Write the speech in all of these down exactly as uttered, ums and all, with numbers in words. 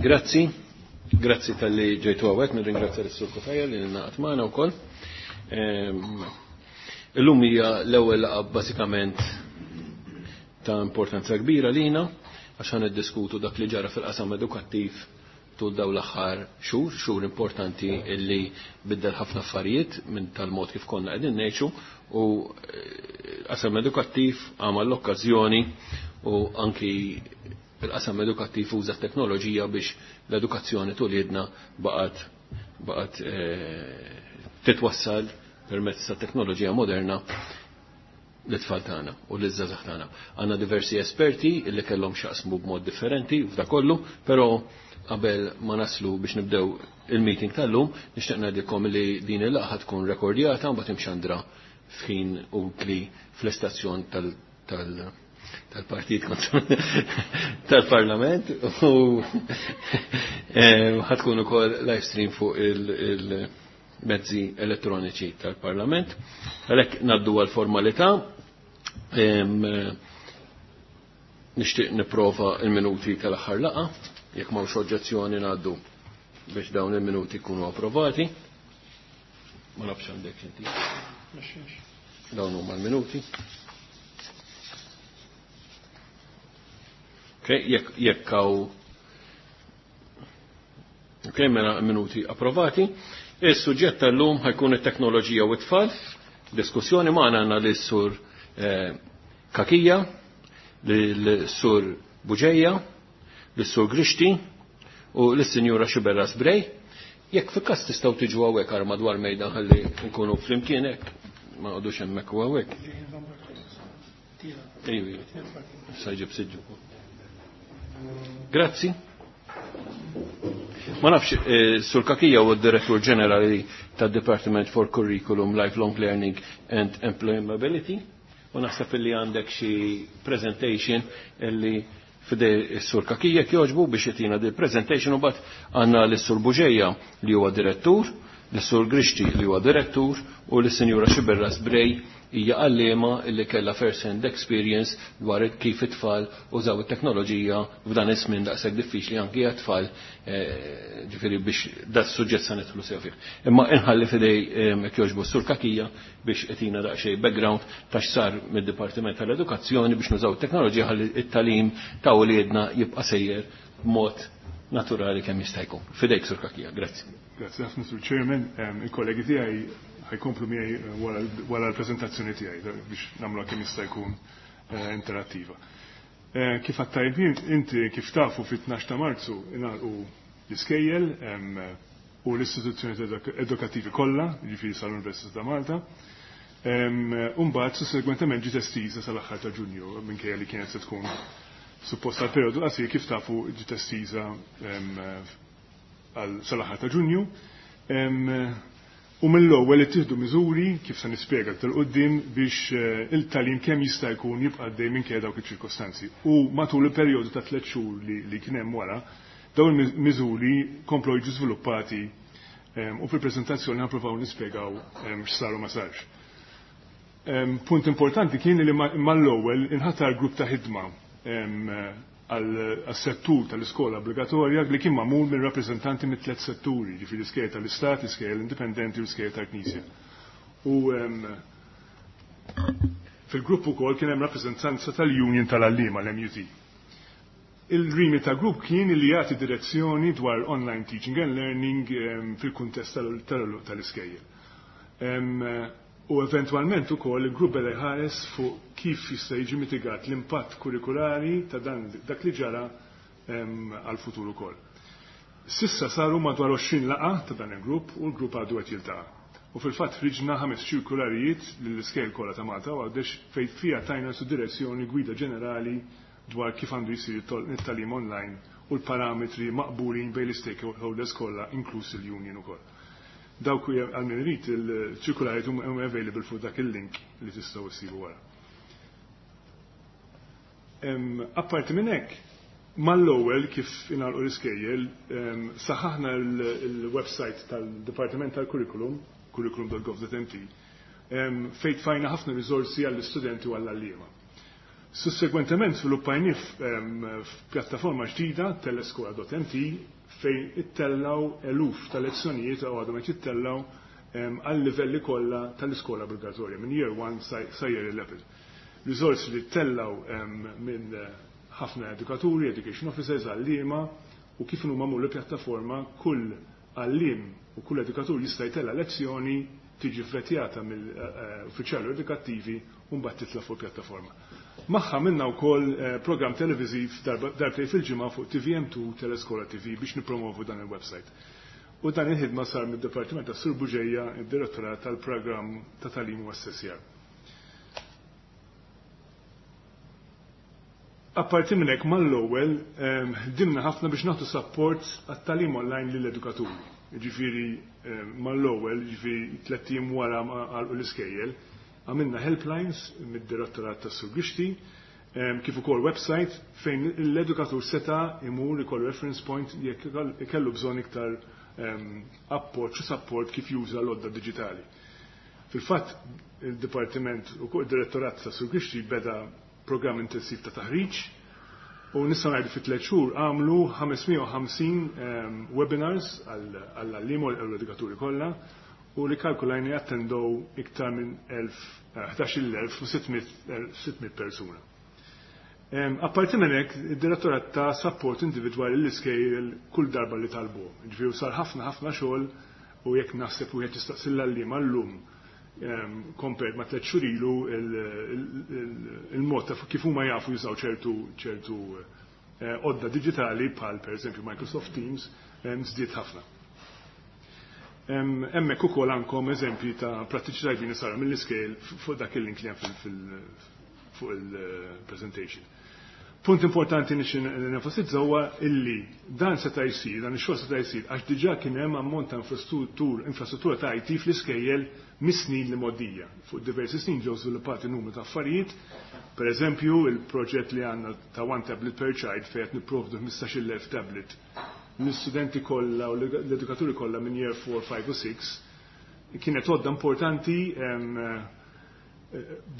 Grazzi, grazzi talli ġejtu hawnhekk, nirringrazzja lis-Sur Cutajar li ngħaqad magħna wkoll. Illum hija l-ewwel laqgħa bażikament ta' importanza kbira lina għax ħa niddiskutu dak li ġara fil-qasam edukattiv tul dawn l-aħħar xhur, xhur importanti illi biddel ħafna affarijiet minn tal-mod kif konna qegħdin ngħixu u qasam edukattiv għamal l-okkażjoni u anki il-qasam edukattiv uża teknoloġija biex l-edukazzjoni t'uliedna baqgħet baqgħet titwassal permezz ta' teknoloġija moderna l-tfal tagħna u l-żgħażagħ tagħna. Għandna diversi esperti illi kellhom x'jaqsmu b'mod differenti f'da kollu, però qabel ma naslu biex nibdew il-meeting tal-lum, nixtieq ngħidilkom li din il-laqgħa tkun rekordjata u mbagħad imxandra f'ħin utli fl-istazzjon tal- tal-partit tal-parlament u ħa tkun ukoll live stream fuq il-mezzi elettroniċi tal-parlament. Għalhekk ngħaddu għal-formalità. Nixtieq nipprova il-minuti tal-aħħar laqgħa, jekk m'hawnx oġġezzjoni ngħaddu biex dawn il-minuti jkunu approvati. Ma nafx għandek inti. Dawn huma l-minuti. Ok, jekk jekk hawn. Ok, mela minuti approvati. Is-suġġett tal-lum ħa jkun it-teknoloġija u t-tfal. Diskussjoni magħna għandna lis-sur eh, Cachia, lis-sur Bugeja, lis-sur Grixti u lis-Sinjura Sciberras Bray. Jekk fi każ tistgħu tiġu hawnhekk għar madwar mejda ħalli nkunu flimkien hekk, ma noqogħdux hemmhekk u hawnhekk. Ejju, sa jġib siġġu. Grazzi. Ma nafx, eh, Sur Cachia u d-Direttur Ġenerali tad-Department for Curriculum, Lifelong Learning and Employability. U naħseb illi għandek xi presentation illi f'idej is-Sur Cachia jogħġbu biex jtina di presentation u mbagħad għandna lis-Sur Bugeja li huwa direttur, lis-Sur Grixti li huwa direttur u lis-Sinjura Sciberras Bray hija għalliema illi kellha first hand experience dwar kif it-tfal użaw it-teknoloġija f'dan iż-żmien daqshekk diffiċli anki għat-tfal, eh, ġifieri biex dat suġġett sa nidħlu sew fih. Imma inħalli f'idej jekk jogħġbu Sur Cachia biex itina daqsxejn background ta' x'sar mid-Dipartiment tal-Edukazzjoni biex nużaw it-teknoloġija ħalli it-tagħlim ta' uliedna jibqa' sejjer b'mod naturali kemm jista' jkun. F'idejk Sur Cachia, grazzi. Grazzi ħafna Sur Chairman, il-kollegi tiegħi ħa jkomplu miegħi wara l-preżentazzjoni tiegħi biex nagħmluha kemm jista' jkun interattiva. Kif għattajt inti kif tafu fit-tnax ta' Marzu ingħalqu l-iskejjel u l-istituzzjoni edukattivi kollha, jiġifieri sal-Università ta' Malta. U mbagħad sussegwentement ġiet estiża sal-aħħar ta' Ġunju minkejja li kienet se tkun suppost għal perjodu qasir kif tafu ġiet estiża sal-aħħar ta' Ġunju. U mill-ewwel ittieħdu miżuri kif se nispjega aktar quddiem biex il-tagħlim kemm jista' jkun jibqa' għaddej minkejja dawk iċ-ċirkostanzi. U matul il-perjodu ta' tliet xhur li kien hemm wara, dawn il-miżuri komplew jiġu żviluppati u fil-preżentazzjoni ħa nispjegaw x'saru ma sarx. Punt importanti kien li mal-ewwel inħatar grupp ta' ħidma għas-settur tal-iskola obbligatorja li kien magħmul minn rappreżentanti mit tliet setturi, ġifieri l-iskejjel tal-Istat, l-iskejjel indipendenti u l-iskejjel tal-Knisja. U fil-grupp ukoll kien hemm rappreżentanza tal-Union tal-Għalliema, l-M U T. Il-rimi ta' grupp kien li jagħti direzzjoni dwar online teaching and learning fil-kuntest tal-iskejjel. U eventwalment ukoll il-grupp beda jħares fuq kif jista' jiġi mitigat l-impatt kurrikulari ta' dan dak li ġara għal-futur ukoll. Sissa saru madwar għoxrin laqgħa ta' dan il-grupp u l-grupp għadu qed jiltaqa'. U fil-fatt ħriġna ħames ċirkularijiet lill-iskejjel kollha ta' Malta u għawdex fejn fiha tajna su direzzjoni gwida ġenerali dwar kif għandu jsir it-tagħlim online u l-parametri maqbulin bejn l-stakeholders kollha inkluż il-union ukoll. Dawk għal min irid il-ċirkularijiet huma available fuq dak il-link li tistgħu issibu wara. Apparti minn hekk, mal-ewwel kif ingħalqu l-iskejjel, saħaħna il-website tal-Dipartiment tal-Curriculum, curriculum dot gov dot m t, fejn tfajna ħafna riżorsi għall-istudenti u għall-għalliema. Sussegwentement żviluppajnieh f'pjattaforma ġdida teleskola punt M T fejn ittellaw eluf ta' lezzjonijiet u għadhom qed jittellaw għal livelli kollha tal-iskola obbligatorja minn year one sa year eleven. Risorsi li ttellaw minn ħafna edukaturi, education officers, għalliema, u kif huma magħmul pjattaforma, kull għalliem u kull edukatur jista' jtella' lezzjoni, tiġi vvetjata mill-uffiċjali edukattivi u mbagħad titla' fuq pjattaforma. Magħha għamilna wkoll eh, programm televiżiv darbtejn fil-ġimgħa fuq T V M two Teleskola T V biex nipromovu dan il-website. U dan il-ħidma sar mid-Dipartiment ta' Sur Buġeja, id-Direttorat tal-Programm ta' Tagħlim u Assessjar. Apparti minn hekk, mal-ewwel ħdimna ħafna biex nagħtu support għat-tagħlim online lill-edukaturi. Ġifieri mal-ewwel, ġifieri tlett ijiem wara għalqu l-iskejjel, għamilna helplines mid-direttorat tas Sur Grixti, kif ukoll website fejn l-edukatur seta' imur ikollu reference point jekk ikellu bżonn iktar appoġġ u support kif juża l-għodda digitali. Fil-fatt, il-Dipartiment u il-Direttorat ta' Sur Grixti beda programm intensiv ta' taħriġ u nistgħu ngħidu fi tliet xhur għamlu ħames mija u ħamsin webinars għall-għalliema u l-edukaturi kollha u li kalkulajni attendow iktar minn ħdax-il elf u sitt mitt persuna. Apparti minn hekk, id-direttorat ta support individwali l-iskejjel kull darba li talbu. Ġifieri sar ħafna ħafna xogħol u jekk naħseb wieħed jistaqsi l-għalliema llum compared ma' tliet xhur ilu, il-mod ta' kif huma jafu jużaw ċertu ċertu eh, għodda digitali bħal pereżempju Microsoft Teams żdied ħafna. Hemmhekk ukoll għandkom eżempji ta' prattiċi tajbin saru mill-iskejjel fuq dak il-link li hemm fuq il-presentation. Punt importanti nix nenfasizza huwa illi dan seta' jsir, dan ix-xogħol seta' jsir għax diġà kien hemm ammont ta' infrastruttur, infrastruttura ta' I T fl-iskejjel mis-snin li mgħoddija. Fuq diversi snin ġew żviluppati numru ta' affarijiet, per eżempju il-proġett li għandna ta' One Tablet per Child fejn qed nipprovdu ħmistax-il elf tablet l-istudenti kollha u l-edukaturi kollha minn year four, five u six kienet għodda importanti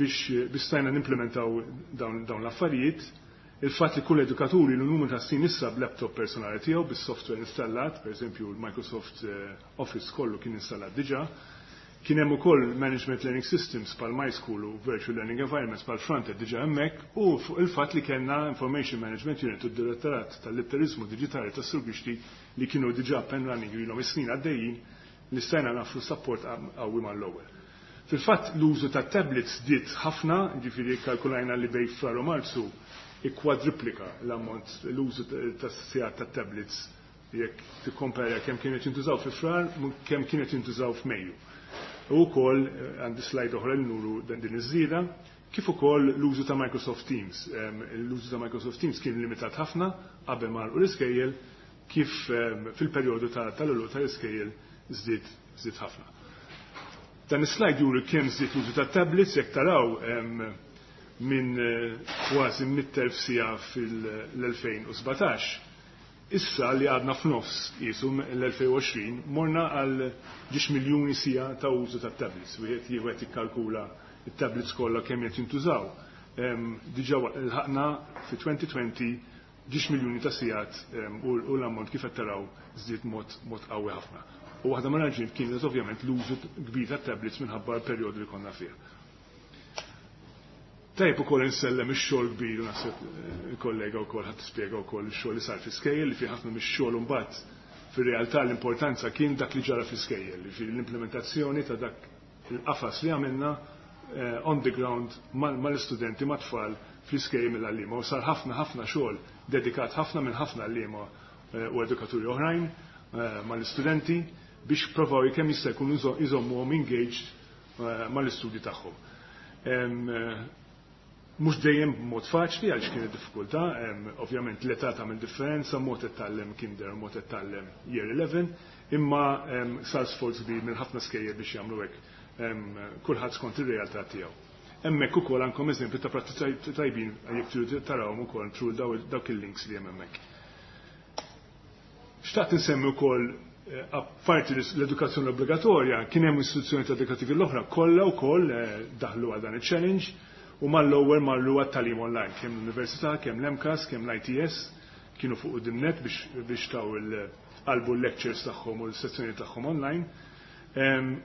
biex biex stajna nimplementaw dawn, dawn l-affarijiet. Il-fatt li kull edukaturi l numru ta' snin issa b'laptop personali tiegħu bis-software installat, per eżempju l-Microsoft eh, Office kollu kien installat diġà, kien hemm ukoll Management Learning Systems bħal MySchool u Virtual Learning Environments bħal Fronted diġà hemmhekk, u fuq il-fatt li kellna Information Management Unit u d-Direttorat tal-Litterizmu Digitali tas-Sur Grixti li kienu diġà up and running ilhom is-snin għaddejjin li stajna nagħmlu support qawwi mal-ewwel. Fil-fatt, l-użu ta' tablets żdied ħafna, ġifieri kalkulajna li bejn Frar u Marzu ikkwadriplika l-ammont l-użu ta' sigħat ta' tablets jekk tikkompara kemm kienet jintużaw fi Frar kemm kienet jintużaw f'Mejju. U wkoll eh, għandi slide oħra li nuru din iż-żieda, kif ukoll l-użu ta' Microsoft Teams. L-użu ta' Microsoft Teams kien limitat ħafna qabel ma l-iskejjel, kif fil-perjodu tal-għeluq tal-iskejjel żdied żdied ħafna. Dan is-slide juri kemm żdied l-użu ta' tablets. Jekk taraw, minn eh, kważi mitt elf siegħa fil-elfejn u sbatax, issa li għadna f'nofs jisu l-elfejn u għoxrin morna għal żewġ miljuni siegħa ta' użu ta' tablets. Wieħed jieħed jikkalkula it-tablets kollha kemm qed jintużaw. Diġà lħaqna fi elfejn u għoxrin żewġ miljuni ta' sigħat u l-ammont kif qed taraw żdied mod mod qawwi ħafna. U waħda ma raġuni kienet ovvjament l-użu kbir ta' tablets minħabba l-perjodu li konna fih. Tajb ukoll insellem ix-xogħol kbir u naħseb eh, il-kollega wkoll ħadd tispjega wkoll ix-xogħol li sar fi-skejjel, li fi ħafna mix-xogħol imbagħad fir-realtà l-importanza kien dak li ġara fi-skejjel, li l-implementazzjoni ta' dak il-qafas li għamilna eh, on the ground mal-istudenti, mat-tfal fl-iskejjel mill-għalliema. U sar ħafna ħafna xogħol dedikat ħafna minn ħafna għalliema eh, u edukaturi oħrajn mal-istudenti biex provaw kemm jista' jkun iżommuhom engaged mal-istudji tagħhom. Mhux dejjem b'mod faċli għaliex kienet diffikultà, ovvjament l-età tagħmel differenza, mod qed tgħallem kinder, mod qed tgħallem year eleven, imma sar sforz kbir minn ħafna skejjel biex jagħmlu hekk, kulħadd skont ir-realtà tiegħu. Hemmhekk ukoll għandkom eżempju ta' prattiċi tajbin jekk tridu tarawhom ukoll through dawk il-links li hemm hemmhekk. Xtaqt insemmi wkoll eh, apparti l-edukazzjoni obbligatorja, kien hemm istituzzjoni edukattivi l-oħra kollha wkoll eh, daħlu għal dan il-challenge. U mal-ewwel marru għat-tagħlim online, kemm l-Università, kemm l-M C A S, kemm l-I T S, kienu fuq quddiem biex biex taw il-qalbu l-lectures tagħhom u l-sezzjoni tagħhom online.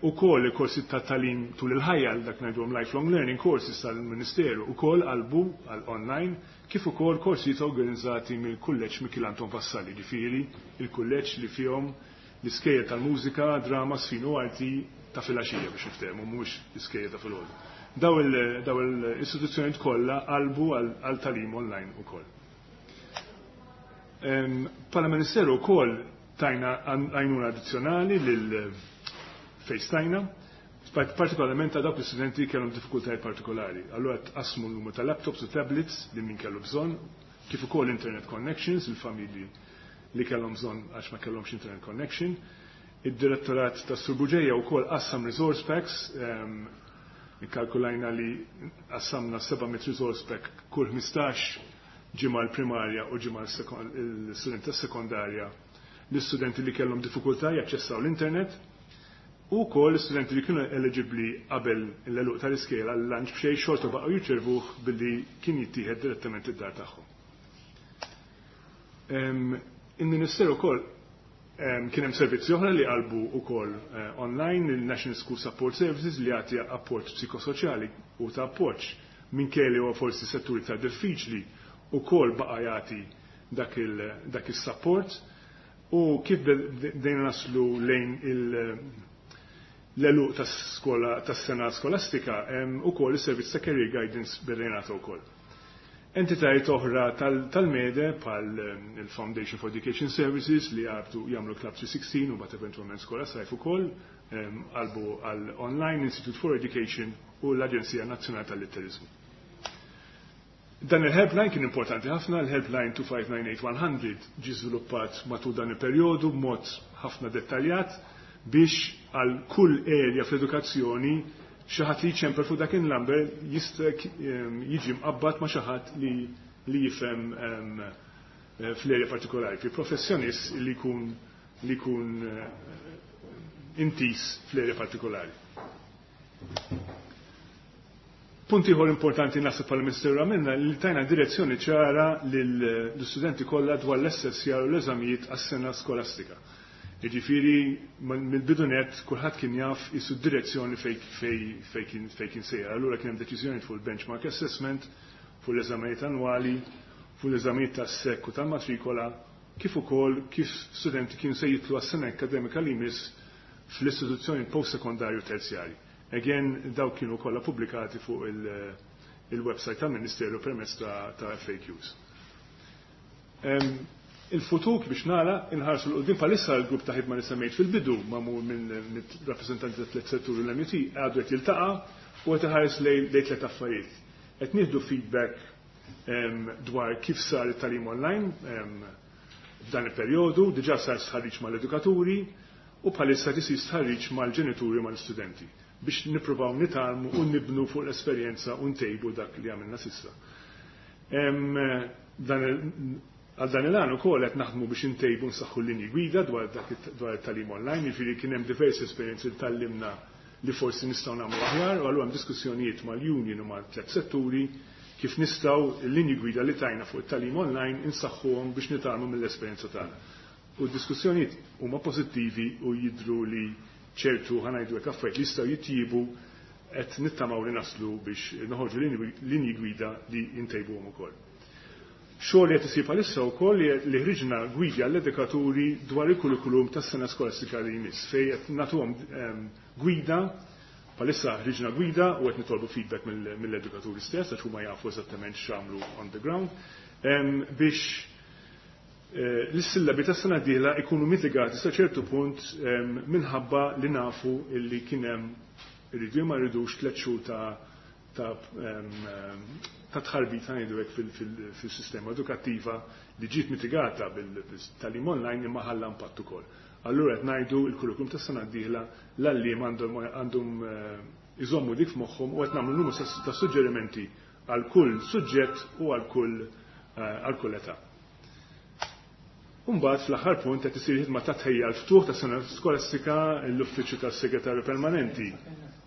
Ukoll il-korsi ta' tagħlim tul il-ħajja, dak ngħidulhom lifelong learning courses tal-Ministeru, ukoll qalbu għal online, kif ukoll korsijiet organizzati mill-Kulleġġ Mikiel Anton Vassalli, ġifieri il-kulleġġ li fihom l-iskejjel tal-mużika, drama, żfin u arti ta' filgħaxija, biex niftehmu, mhux l-iskejjel ta' filgħodu. Daw l-istituzzjonijiet kollha qalbu għal tagħlim online ukoll. Bħala Ministeru wkoll tajna għajnuna addizzjonali lil fejn stajna, partikolarment ta' dawk l-istudenti kellhom diffikultajiet partikolari. Allura tqassmu l-numru ta' laptops u tablets li min kellu bżonn, kif ukoll internet connections, il-familji li kellhom bżonn għax ma kellhomx internet connection. Id-direttorat ta' Sur Bugeja wkoll qassam resource packs, ikkalkulajna li qassamna seba' mitt resource pack kull ħmistax ġimgħa l-primarja u ġimgħa l-studenti tas-sekondarja, l-istudenti li kellhom diffikultà jaċċessaw l-internet u wkoll l-istudenti li kienu eligibli qabel l-għeluq tal-iskejjel għal lunch b'xejn, xorta baqgħu jirċevuh billi kien jittieħed direttament id-dar tagħhom. Il-Ministeru wkoll kien hemm servizzi oħra li qalbu wkoll eh, online, il-National School Support Services li jagħti apport psikosoċjali u ta' appoġġ minkejja huwa forsi setturi ta' diffiċli, ukoll baqa' jagħti dak il-support. U kif bdejna naslu lejn l-għeluq tas-sena skolastika, ukoll is-servizz ta' career guidance bdejna wkoll. Entitajiet oħra tal-MEDE bħal il-Foundation for Education Services li għabtu jagħmlu Club three sixteen u mbagħad eventwalment Skola Sajf ukoll qalbu għal Online, Institute for Education u l-Aġenzija Nazzjonali tal-Litterizmu. Dan il-helpline kien importanti ħafna, il-helpline two five nine eight one hundred ġi żviluppat matul dan il-perjodu b'mod ħafna dettaljat biex għal kull area fl-edukazzjoni xi ħadd li jċempel fuq dak il-number jista' jiġi mqabbad ma' xi ħadd li li jifhem fl-area partikolari, fi professjonist li jkun li jkun intiż fl-area partikolari. Punt ieħor importanti naħseb bħala Ministeru għamilna li tajna direzzjoni ċara lill-istudenti kollha dwar l-assessjar u l-eżamijiet għas-sena skolastika. Jiġifieri mill-bidu nett kulħadd kien jaf isu direzzjoni fej kien sejjer. Allura kien hemm deċiżjoni fuq il-benchmark assessment, fuq l-eżamijiet annwali, fuq l-eżamijiet tas-S E C u tal-matrikola, kif ukoll kif studenti kienu se jidħlu għas-sena akademika li jmiss fl-istituzzjoni post-sekondarju terzjari. Again, daw kienu kollha pubblikati fuq il-website tal-Ministeru permezz ta', ta F A Qs. Il-futur, biex nara, inħarsu 'l quddiem, bħalissa l-grupp ta' ħidma li semmejt fil-bidu, magħmul minn rappresentanti ta' tliet setturi, l-M U T, għadu qed jiltaqa' u qed iħares lejn tliet affarijiet. Qed nieħdu feedback dwar kif sar it-tagħlim online f'dan il-perjodu, diġà sar stħarriġ mal-edukaturi u bħalissa tisir stħarriġ mal-ġenituri, mal-istudenti, biex nippruvaw nitgħallmu u nibnu fuq l-esperjenza u ntejbu dak li għamilna s'issa. Għal dan il-għan ukoll qed naħdmu biex intejbu, nsaħħu l-linji gwida dwar it-tagħlim online, jiġifieri kien hemm diversi esperjenzi li tgħallimna li forsi nistgħu nagħmlu aħjar, u allura hemm diskussjonijiet mal-union u mal-tliet setturi kif nistgħu l-linji gwida li tajna fuq it-tagħlim online insaħħuhom biex nitgħallmu mill-esperjenza tagħna. U d-diskussjonijiet huma pożittivi u jidru li ċertu, ħa ngħidu hekk, affarijiet li jistgħu jitjibu, qed nittamaw li naslu biex noħorġu linji gwida li jintejbuhom ukoll. Xogħol li qed isir bħalissa wkoll li ħriġna gwidi għall-edukaturi dwar il-kurrikulum tas-sena skolastika li jmiss, fejn qed nagħtuhom ehm, gwida. Bħalissa ħriġna gwida u qed nitolbu feedback mill-edukaturi stess għax huma jafu eżattament x'għamlu on the ground ehm, biex eh, l-sillabi tas-sena d-dieħla ikunu mitigati sa ċertu punt ehm, minħabba li nafu illi kien hemm, irridu ma rridux, tliet xhur ta' ta' ta' tħarbit, ngħidu hekk, fil-sistema edukattiva li ġiet mitigata bil-tagħlim online imma ħalla impatt ukoll. Allura qed ngħidu l-kurrikulum tas-sena d-dieħla l-għalliem għandhom eh, iżommu dik f'moħħhom u qed nagħmlu numru ta' suġġerimenti għal kull suġġett u għal kull eh, għal kull età. Umbagħad fl-aħħar punt qed isir ħidma ta' tħejja l-ftuħ ta' sena skolastika. L-Uffiċċju tas-Segretarju Permanenti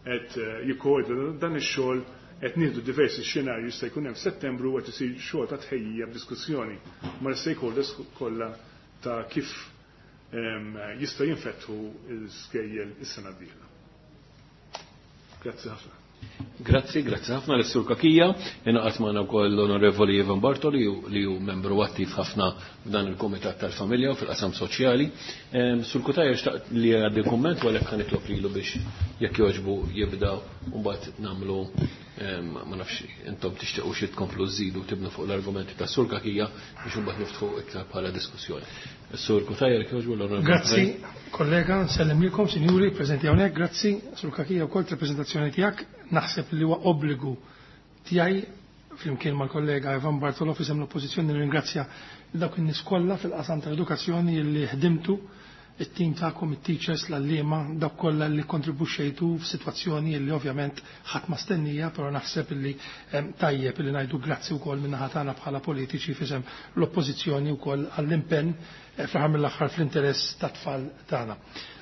qed eh, jikkoordina dan ix-xogħol. Qed nieħdu diversi xenarji jista' jkun hemm f'Settembru u qed isir xogħol ta' tħejjija b'diskussjoni mal-stakeholders kollha ta' kif jista' jinfetħu l-skejjel is-sena d-dieħla. Grazzi ħafna. Grazzi, grazzi ħafna l Sur Cachia. Ingħaqad magħna wkoll l-Onorevoli Ivan Bartoli li hu membru attiv ħafna f'dan il-Kumitat tal-Familja u fil-qasam soċjali. Sur Cutajar xtaqt li għaddi kumment u għalhekk ħa nitlob lilu biex jekk jogħġbu jibda u mbagħad nagħmlu, ma nafx intom tixtiequ xi tkomplu żidu tibnu fuq l-argumenti ta' Sur Cachia biex imbagħad niftħu iktar bħala diskussjoni. Sur Cutajar, jekk jogħġbu l-Onorevoli. Grazzi, kollega, nsellimilkom, sinjuri, preżenti hawnhekk, grazzi, Sur Cachia wkoll tal-preżentazzjoni tiegħek. Naħseb li huwa obbligu tiegħi flimkien mal-kollega Ivan Bartolo f'isem l-oppożizzjoni nirringrazzja dawk in-nies kollha fil-qasam tal-edukazzjoni li ħdimtu, it-tim tagħkom, it-teachers, l-għalliema, dawk kollha li kontribwixxejtu f'sitwazzjoni li ovvjament ħadd ma stennija, però naħseb li tajjeb li ngħidu grazzi wkoll min-naħa tagħna bħala politiċi f'isem l-oppożizzjoni wkoll għall-impenn fl-aħħar mill-aħħar fl-interess tat-tfal tagħna.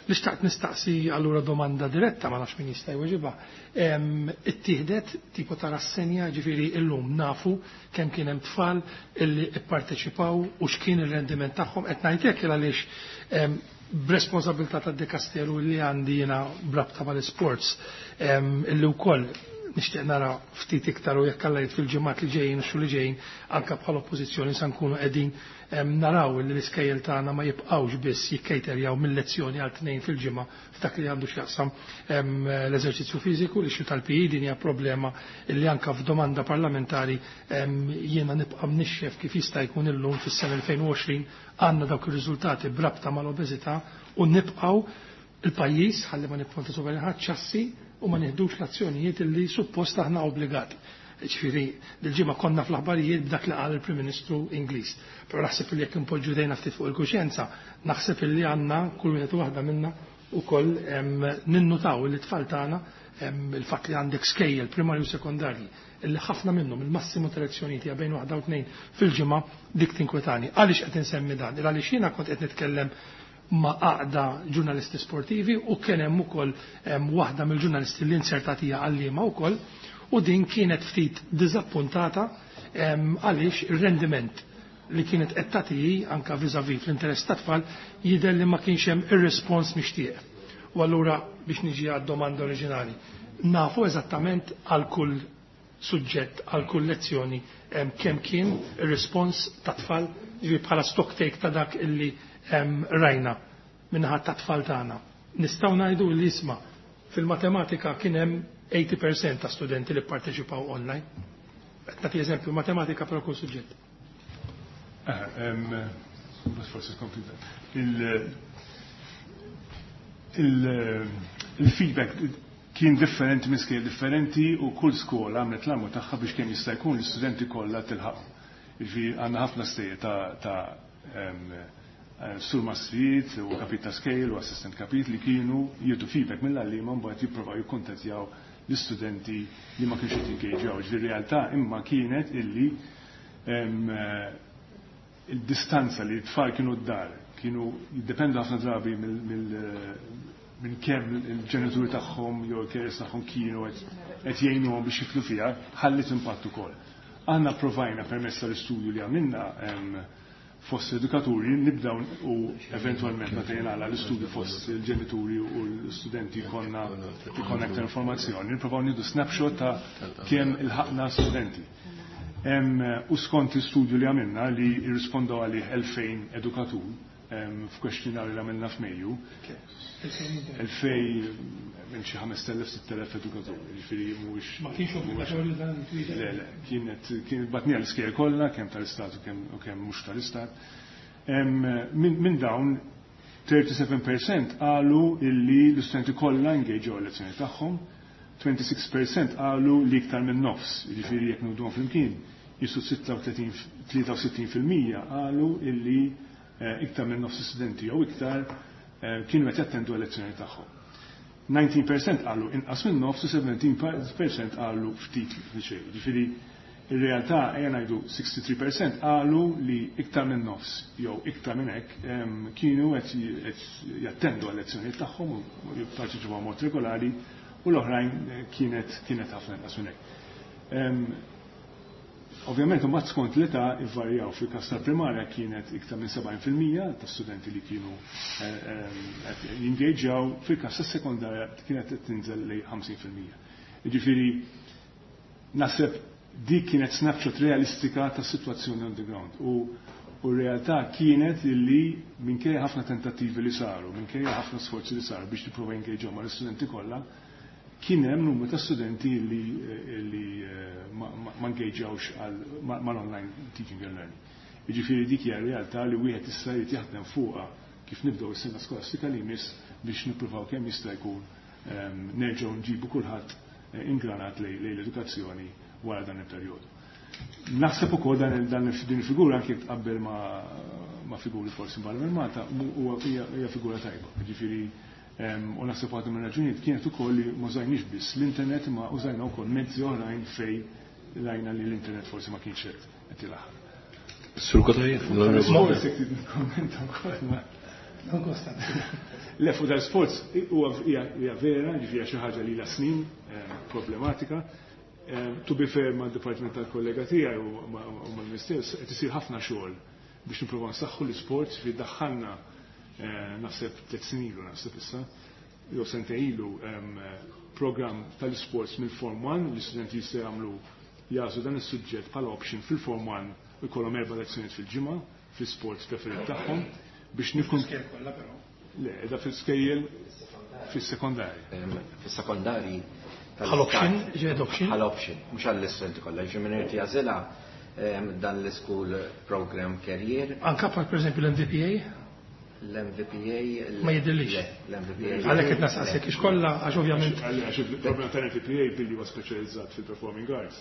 Li xtaqt nistaqsi allura domanda diretta, ma nafx min jista' jweġibha. Ittieħdet tipo ta' rassenja, ġifieri illum nafu kemm kien hemm tfal illi pparteċipaw u x'kien ir-rendiment tagħhom. Qed ngħid hekk għaliex b'responsabilità tad-dikasteru li għandi jiena b'rabta mal-isports illi wkoll nixtieq nara ftit iktar u jekk Alla jrid fil-ġimgħat li ġejjin u xhur li ġejjin anke bħala oppożizzjoni sa nkunu qegħdin naraw li l-iskejjel tagħna ma jibqgħux biss jikkejterjaw mill-lezzjoni għal tnejn fil-ġimgħa f'dak li għandu x'jaqsam l-eżerċizzju fiżiku. Li xi tal-P E din hija problema li anke f'domanda parlamentari jiena nibqa' mnixxef kif jista' jkun illum fis-sena elfejn u għoxrin għandna dawk ir-riżultati b'rabta mal-obeżità u nibqgħu il-pajjiż ħalli ma nipponta sopra ħadd ċassi u ma nieħdux l-azzjonijiet illi suppost aħna obbligati. Ġifieri, dil-ġimgħa konna fl-aħbarijiet b'dak li qal il-Prim Ministru Ingliż. Però naħseb li jekk inpoġġu dejna ftit fuq il-kuxjenza, naħseb li għandna kull wieħed u waħda minna ukoll ninnutaw li t-tfal tagħna il-fatt li għandek skejjel primarju u sekondarji illi ħafna minnhom il-massimu ta' lezzjonijiet hija bejn waħda u tnejn fil-ġimgħa, dik tinkwetani. Għaliex qed insemmi dan? Għaliex jiena kont qed nitkellem ma' għaqda ġurnalisti sportivi u kien hemm ukoll waħda mill-ġurnalisti li insertatija għalliema wkoll, u din kienet ftit diżappuntata għaliex ir-rendiment li kienet qed tagħti anke vis-à-vis fl-interess tat-tfal jidher li ma kienx hemm ir-respons mixtieq. U allura biex niġi għad-domanda oriġinali, nafu eżattament għal kull suġġett, għal kull lezzjoni kemm kien ir-respons tat-tfal, ġifieri bħala stock take ta' dak illi rajna minnaħa tat-tfal tagħna. Nistgħu ngħidu li isma' fil-matematika kien hemm eighty percent ta' studenti li pparteċipaw online. Qed nagħti eżempju matematika però kull suġġett. Forsi tkompli. Il-feedback kien differenti minn skejjel differenti u kull skola għamlet l-għamlu tagħha biex kemm jista' jkun l-istudenti kollha tilħaq. Jiġifieri għandna ħafna stejjer ta', ta' sur mastrijiet u kapit ta' skejjel u assistent kapit li kienu jieħdu feedback mill-għalliema mbagħad jippruvaw jikkuntattjaw l-istudenti li ma kienx qed jingeġġjaw. Ġifieri realtà imma kienet illi il-distanza li t-tfal kienu d-dar kienu jiddependu ħafna drabi minn kemm il-ġenituri tagħhom jew il-carers tagħhom kienu qed jgħinuhom biex jiflu fiha, ħallit impatt ukoll. Aħna provajna permezz tal-istudju li għamilna fost edukaturi nibdaw u eventualment meta jingħala l-istudju fost il-ġenituri u l-studenti jkollna jkollna aktar informazzjoni, nipprovaw nieħdu snapshot ta' kemm ilħaqna studenti. U skont l-istudju li għamilna li jirrispondaw għalih elfejn edukatur f'kwestjonarju li għamilna f'Mejju, elfej minn xi ħamest elef, sitt elef edukatur, jiġifieri mhuwiex Ma kienx obbligatorju dan il-twieġeb? Le, le, kienet, kienet batnija l-iskejjel kollha, kemm tal-istat u kemm, u kemm mhux tal-istat. Minn, min dawn thirty-seven percent qalu illi l-istudenti kollha engaged l-lezzjoni tagħhom, twenty-six percent qalu li iktar minn nofs, jiġifieri jekk nħuduhom flimkien, jisu sitta u tletin, tlieta u sittin fil-mija qalu illi, eh, iktar minn nofs studenti jew iktar, eh, kienu qed jattendu l-lezzjoni tagħhom. nineteen percent qalu inqas minn nofs u seventeen percent qalu ftit li xejn. Ġifieri ir-realtà ejja ngħidu sixty-three percent qalu li iktar minn nofs jew iktar minn hekk, em, kienu qed j-, qed jattendu għal-lezzjonijiet tagħhom u jipparteċipaw mod regolari u l-oħrajn, eh, kienet, kienet ħafna inqas minn hekk. Ovvjament, imbagħad skont l-età ivvarjaw. Fil-każ tal-primarja kienet iktar minn sebgħin fil-mija ta' studenti li kienu qed jingaġġjaw, fil-każ tas-sekondarja kienet qed tinżel lejn ħamsin fil-mija. Jiġifieri naħseb dik kienet snapshot realistika tas-sitwazzjoni on the ground. U u r-realtà kienet illi minkejja ħafna tentattivi li saru, minkejja ħafna sforzi li saru biex tipprova jingaġġjaw mal-istudenti kollha, kien hemm numru ta' studenti li, li ma, ma engagewx mal-online teaching and learning. Jiġifieri dik hija realtà li wieħed issa jrid jaħdem fuqha kif nibdew is-sena skolastika li jmiss biex nippruvaw kemm jista' jkun nerġgħu nġibu kulħadd ingranat lejn l-edukazzjoni wara dan il-perjodu. Naħseb ukoll dan dan din il-figura, anke tqabbel ma, ma figuri forsi barra minn Malta, huwa hija figura tajba. Ġifieri u naħseb waħda minn raġunijiet kienet ukoll li ma użajniex biss l-internet, ma użajna wkoll mezzi oħrajn fejn rajna li l-internet forsi ma kienx qed qed ilaħħaq. Sur Cutajar. Forsi jekk nikkommenta wkoll ma Non kostant. Le, fuq dal-sports huwa hija vera, ġifieri xi ħaġa li la snin problematika. To be fair ma' department tal-kollega tiegħi u mal-Ministeru, qed isir ħafna xogħol biex nippruvaw nsaħħu l-isports fi daħħalna, naħseb tliet snin ilu, naħseb issa, jew sentejn ilu, program tal-sports mill-Form one, l-istudenti jistgħu jagħmlu jagħżlu dan is-suġġett bħala option fil-Form one u jkollhom erba' lezzjonijiet fil-ġimgħa fl-sports preferit tagħhom biex nikun kollha però. Le, da fil-skejjel fis-sekondarji. Fis-sekondarji. Bħal option, ġiet option. Bħal option, mhux għall-istudenti kollha, ġi minn irid jagħżilha dan l-school program career. Anka bħal pereżempju l-M V P A? L-M V P A. Ma jidhirlix. L-M V P A. Għalhekk qed nistaqsik ix kollha, għax ovvjament. Għax il-program tal-M V P A billi huwa speċjalizzat fil-performing arts,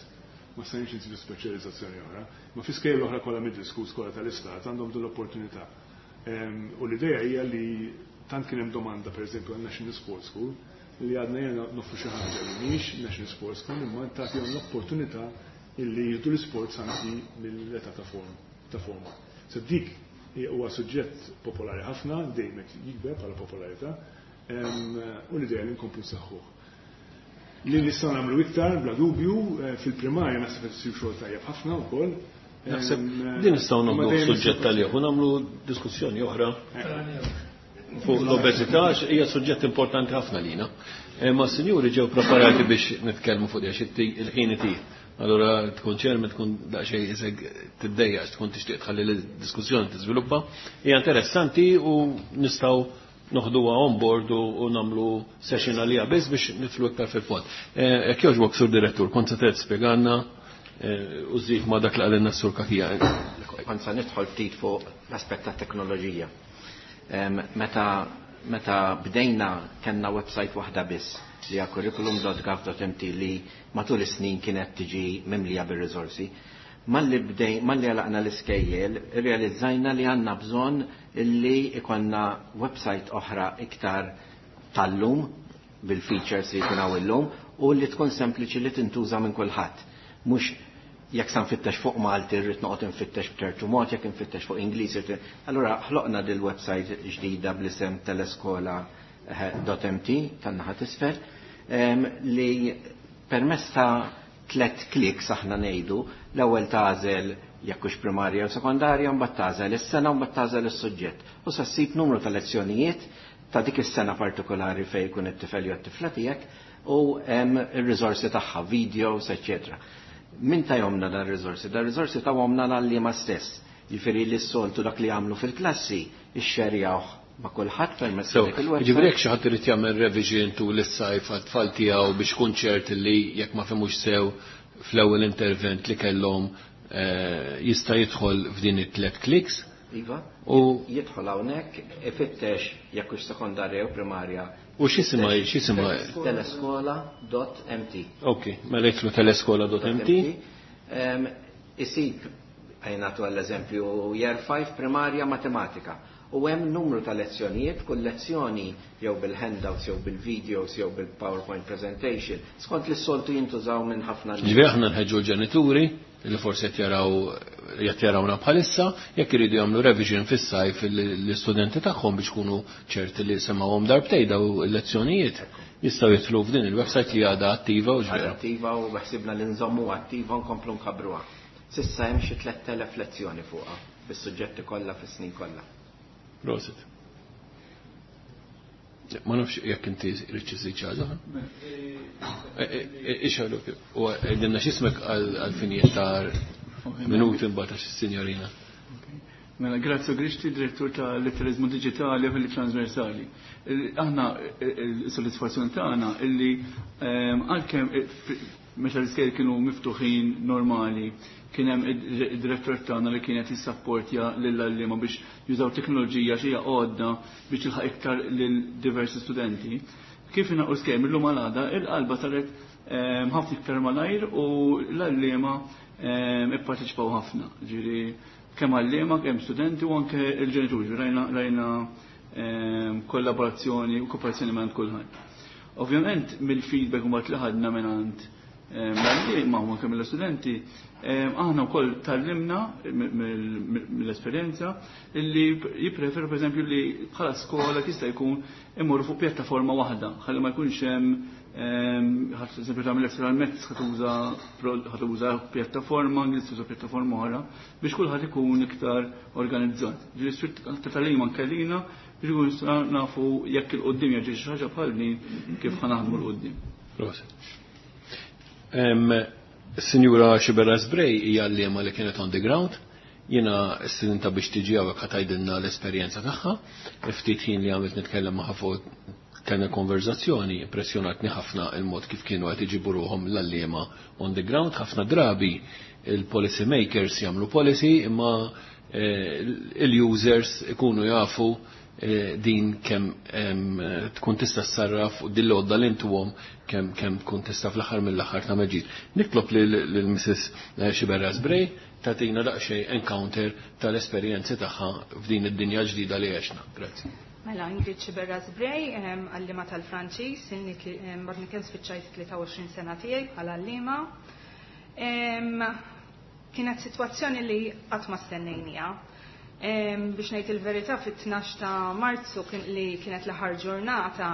ma stajniex nsibu speċjalizzazzjoni oħra. Ma fi skejjel oħra kollha, middle school, skola tal-istat, għandhom din l-opportunità. U l-idea hija li tant kien hemm domanda pereżempju għal National Sports School li għadna jena noffru xi ħaġa li mhix National Sports School imma tagħtihom l-opportunità illi jieħdu l-sports anki mill-età ta' form ta' forma. So dik huwa suġġett popolari ħafna, dejjem qed jikber bħala popolarità, u l-idea li nkomplu nsaħħuh. Li nistgħu nagħmlu iktar, bla dubju, fil-primarja naħseb qed isir xogħol tajjeb ħafna wkoll. Naħseb din nistgħu nagħmlu suġġett tal u nagħmlu diskussjoni oħra fuq l-obeżità, hija suġġett importanti ħafna lina. Ma sinjuri ġew preparati biex nitkellmu fuq għax il-ħin itir. Allora tkun ċermi tkun daqsxejn isek tiddejja, tkun tixtieq tħalli l-diskussjoni tiżviluppa. Hija interessanti u nistgħu noħduha on board u nagħmlu session għalija biss biex nidħlu iktar fil-fond. Jekk jogħġbok, Sur Direttur, kont se spjegalna u żid ma dak li qalilna s-Sur Cachia. Kont se nidħol ftit fuq l-aspett ta' teknoloġija. Meta meta bdejna kellna website waħda biss li hija curriculum dot gov dot M T li matul is-snin kienet tiġi mimlija bir-riżorsi. Malli bdej, malli għalaqna l-iskejjel, realizzajna li għandna bżonn illi ikollna website oħra iktar tal-lum bil-features li jkun hawn illum u li tkun sempliċi li tintuża minn kulħadd. Mhux jekk sa nfittex fuq Malti rrid noqgħod infittex b'ċertu mod, jekk infittex fuq Ingliż. Allura ħloqna dil website ġdida bl-isem teleskola dot M T tan-naħa t'isfel li permezz ta' tlet kliks, aħna ngħidu, l-ewwel tagħżel jekk hux primarja u sekondarja, mbagħad tagħżel is-sena u mbagħad tagħżel is-suġġett. U sa ssib numru ta' lezzjonijiet ta' dik is-sena partikolari fejn jkun it-tifel jew t-tifla tiegħek u hemm ir-riżorsi tagħha, videos, eċċetera. Min tahomlna dan ir-riżorsi? Dan ir-riżorsi tahomlna l-għalliema stess. Jiġifieri li s-soltu dak li għamlu fil-klassi ixxerjawh ma' kulħadd permezz So, dik il-website. Ġifieri jekk xi ħadd irid jagħmel revision tul is-sajf għat-tfal tiegħu biex kun ċert li jekk ma fehmux sew fl-ewwel intervent li kellhom eh, jista' jidħol f'din it-tlet kliks. Iva, U jidħol hawnhekk, ifittex jekk hux sekondarja u primarja. U x'isimha x'isimha teleskola dot M T. Ok, mela jidħlu teleskola dot M T. Em, Isib għajnatu għall-eżempju Year five primarja matematika. U hemm numru ta' lezzjonijiet, kull lezzjoni jew bil-handouts, jew bil-videos, jew bil-PowerPoint presentation, skont li s-soltu jintużaw minn ħafna. Ġifieri aħna nħeġġu l-ġenituri li forsi qed jaraw qed jarawna bħalissa, jekk iridu jagħmlu revision fis-sajf l-istudenti tagħhom biex kunu ċerti li semgħuhom darbtejn daw il-lezzjonijiet, jistgħu jidħlu f'din il-website li għadha attiva u Għadha ġvera. Attiva u beħsibna li nżommu attiva u nkomplu nkabbruha. S'issa hemm xi tlett elef lezzjoni fuqha bis-suġġetti kollha fis-snin kollha. Prosit. Ma nafx jekk inti rridx iżid xi ħaġa. Ixħalu, u għedinna x'ismek għal-finijiet ta' minuti mbagħad għax is-sinjorina. Mela, Grazio Grixti, direttur ta' Litterizmu Digitali u ħiliet Transversali. Il- Aħna il-soddisfazzjoni tagħna illi ehm, għalkemm eh, fi- meta l-iskejjel kienu miftuħin normali, kien hemm id-direttur tagħna li kienet jissapportja lill-għalliema biex jużaw teknoloġija xi għodda biex tilħaq iktar lil diversi studenti. Kif ingħalqu l-iskejjel mill-lum għal għada, il-qalba saret ehm, ħafna iktar malajr u l-għalliema ehm, ipparteċipaw ħafna. Ġifieri kemm għalliema, kemm studenti u anke il-ġenituri. Rajna, rajna ehm, kollaborazzjoni u kooperazzjoni ma' kulħadd. Ovvjament mill-feedback mbagħad li ħadna mingħand ehm, l-għalliema u anke mill-studenti, ehm, aħna wkoll tgħallimna mill-esperjenza illi jippreferu, pereżempju, li bħala skola jista' jkun imorru fuq pjattaforma waħda, ħalli ma jkunx hemm ħadd, eżempju, tagħmel extra mezz ħa tuża ħa tuża pjattaforma, Ingliż tuża pjattaforma oħra biex kulħadd ikun iktar organizzat. Ġifieri ta' tagħlim anke lina biex ikun nafu jekk 'il quddiem jaġi xi ħaġa bħal din kif ħa naħdmu 'l quddiem. Prosit. Sinjura Sciberras Bray hija għalliema li kienet on the ground. Jiena stedintha biex tiġi hawnhekk ħa tgħidilna l-esperjenza tagħha. Ftit ħin li għamilt nitkellem magħha fuq kellna konverzazzjoni, impressjonatni ħafna il-mod kif kienu qed iġibu ruħhom l-għalliema on the ground. Ħafna drabi il-policy makers jagħmlu policy, imma eh, il-users ikunu jafu eh, din kemm tkun tista' ssarraf u din l-għodda li intuhom kemm kemm tkun tista' fl-aħħar mill-aħħar ta' ġid. Nitlob lil Missus Sciberras Bray tagħtina daqsxejn encounter tal-esperjenzi tagħha f'din id-dinja ġdida li għexna. Grazzi. Mela, Ingrid Sciberras Bray, għallima tal-Franċiż, għadni kemm spiċċajt tlieta u għoxrin sena tiegħi bħala għallima. Kienet sitwazzjoni li qatt ma stennejnija. Biex ngħid il-verità, fit-tnax ta' Marzu li kienet l-aħħar ġurnata,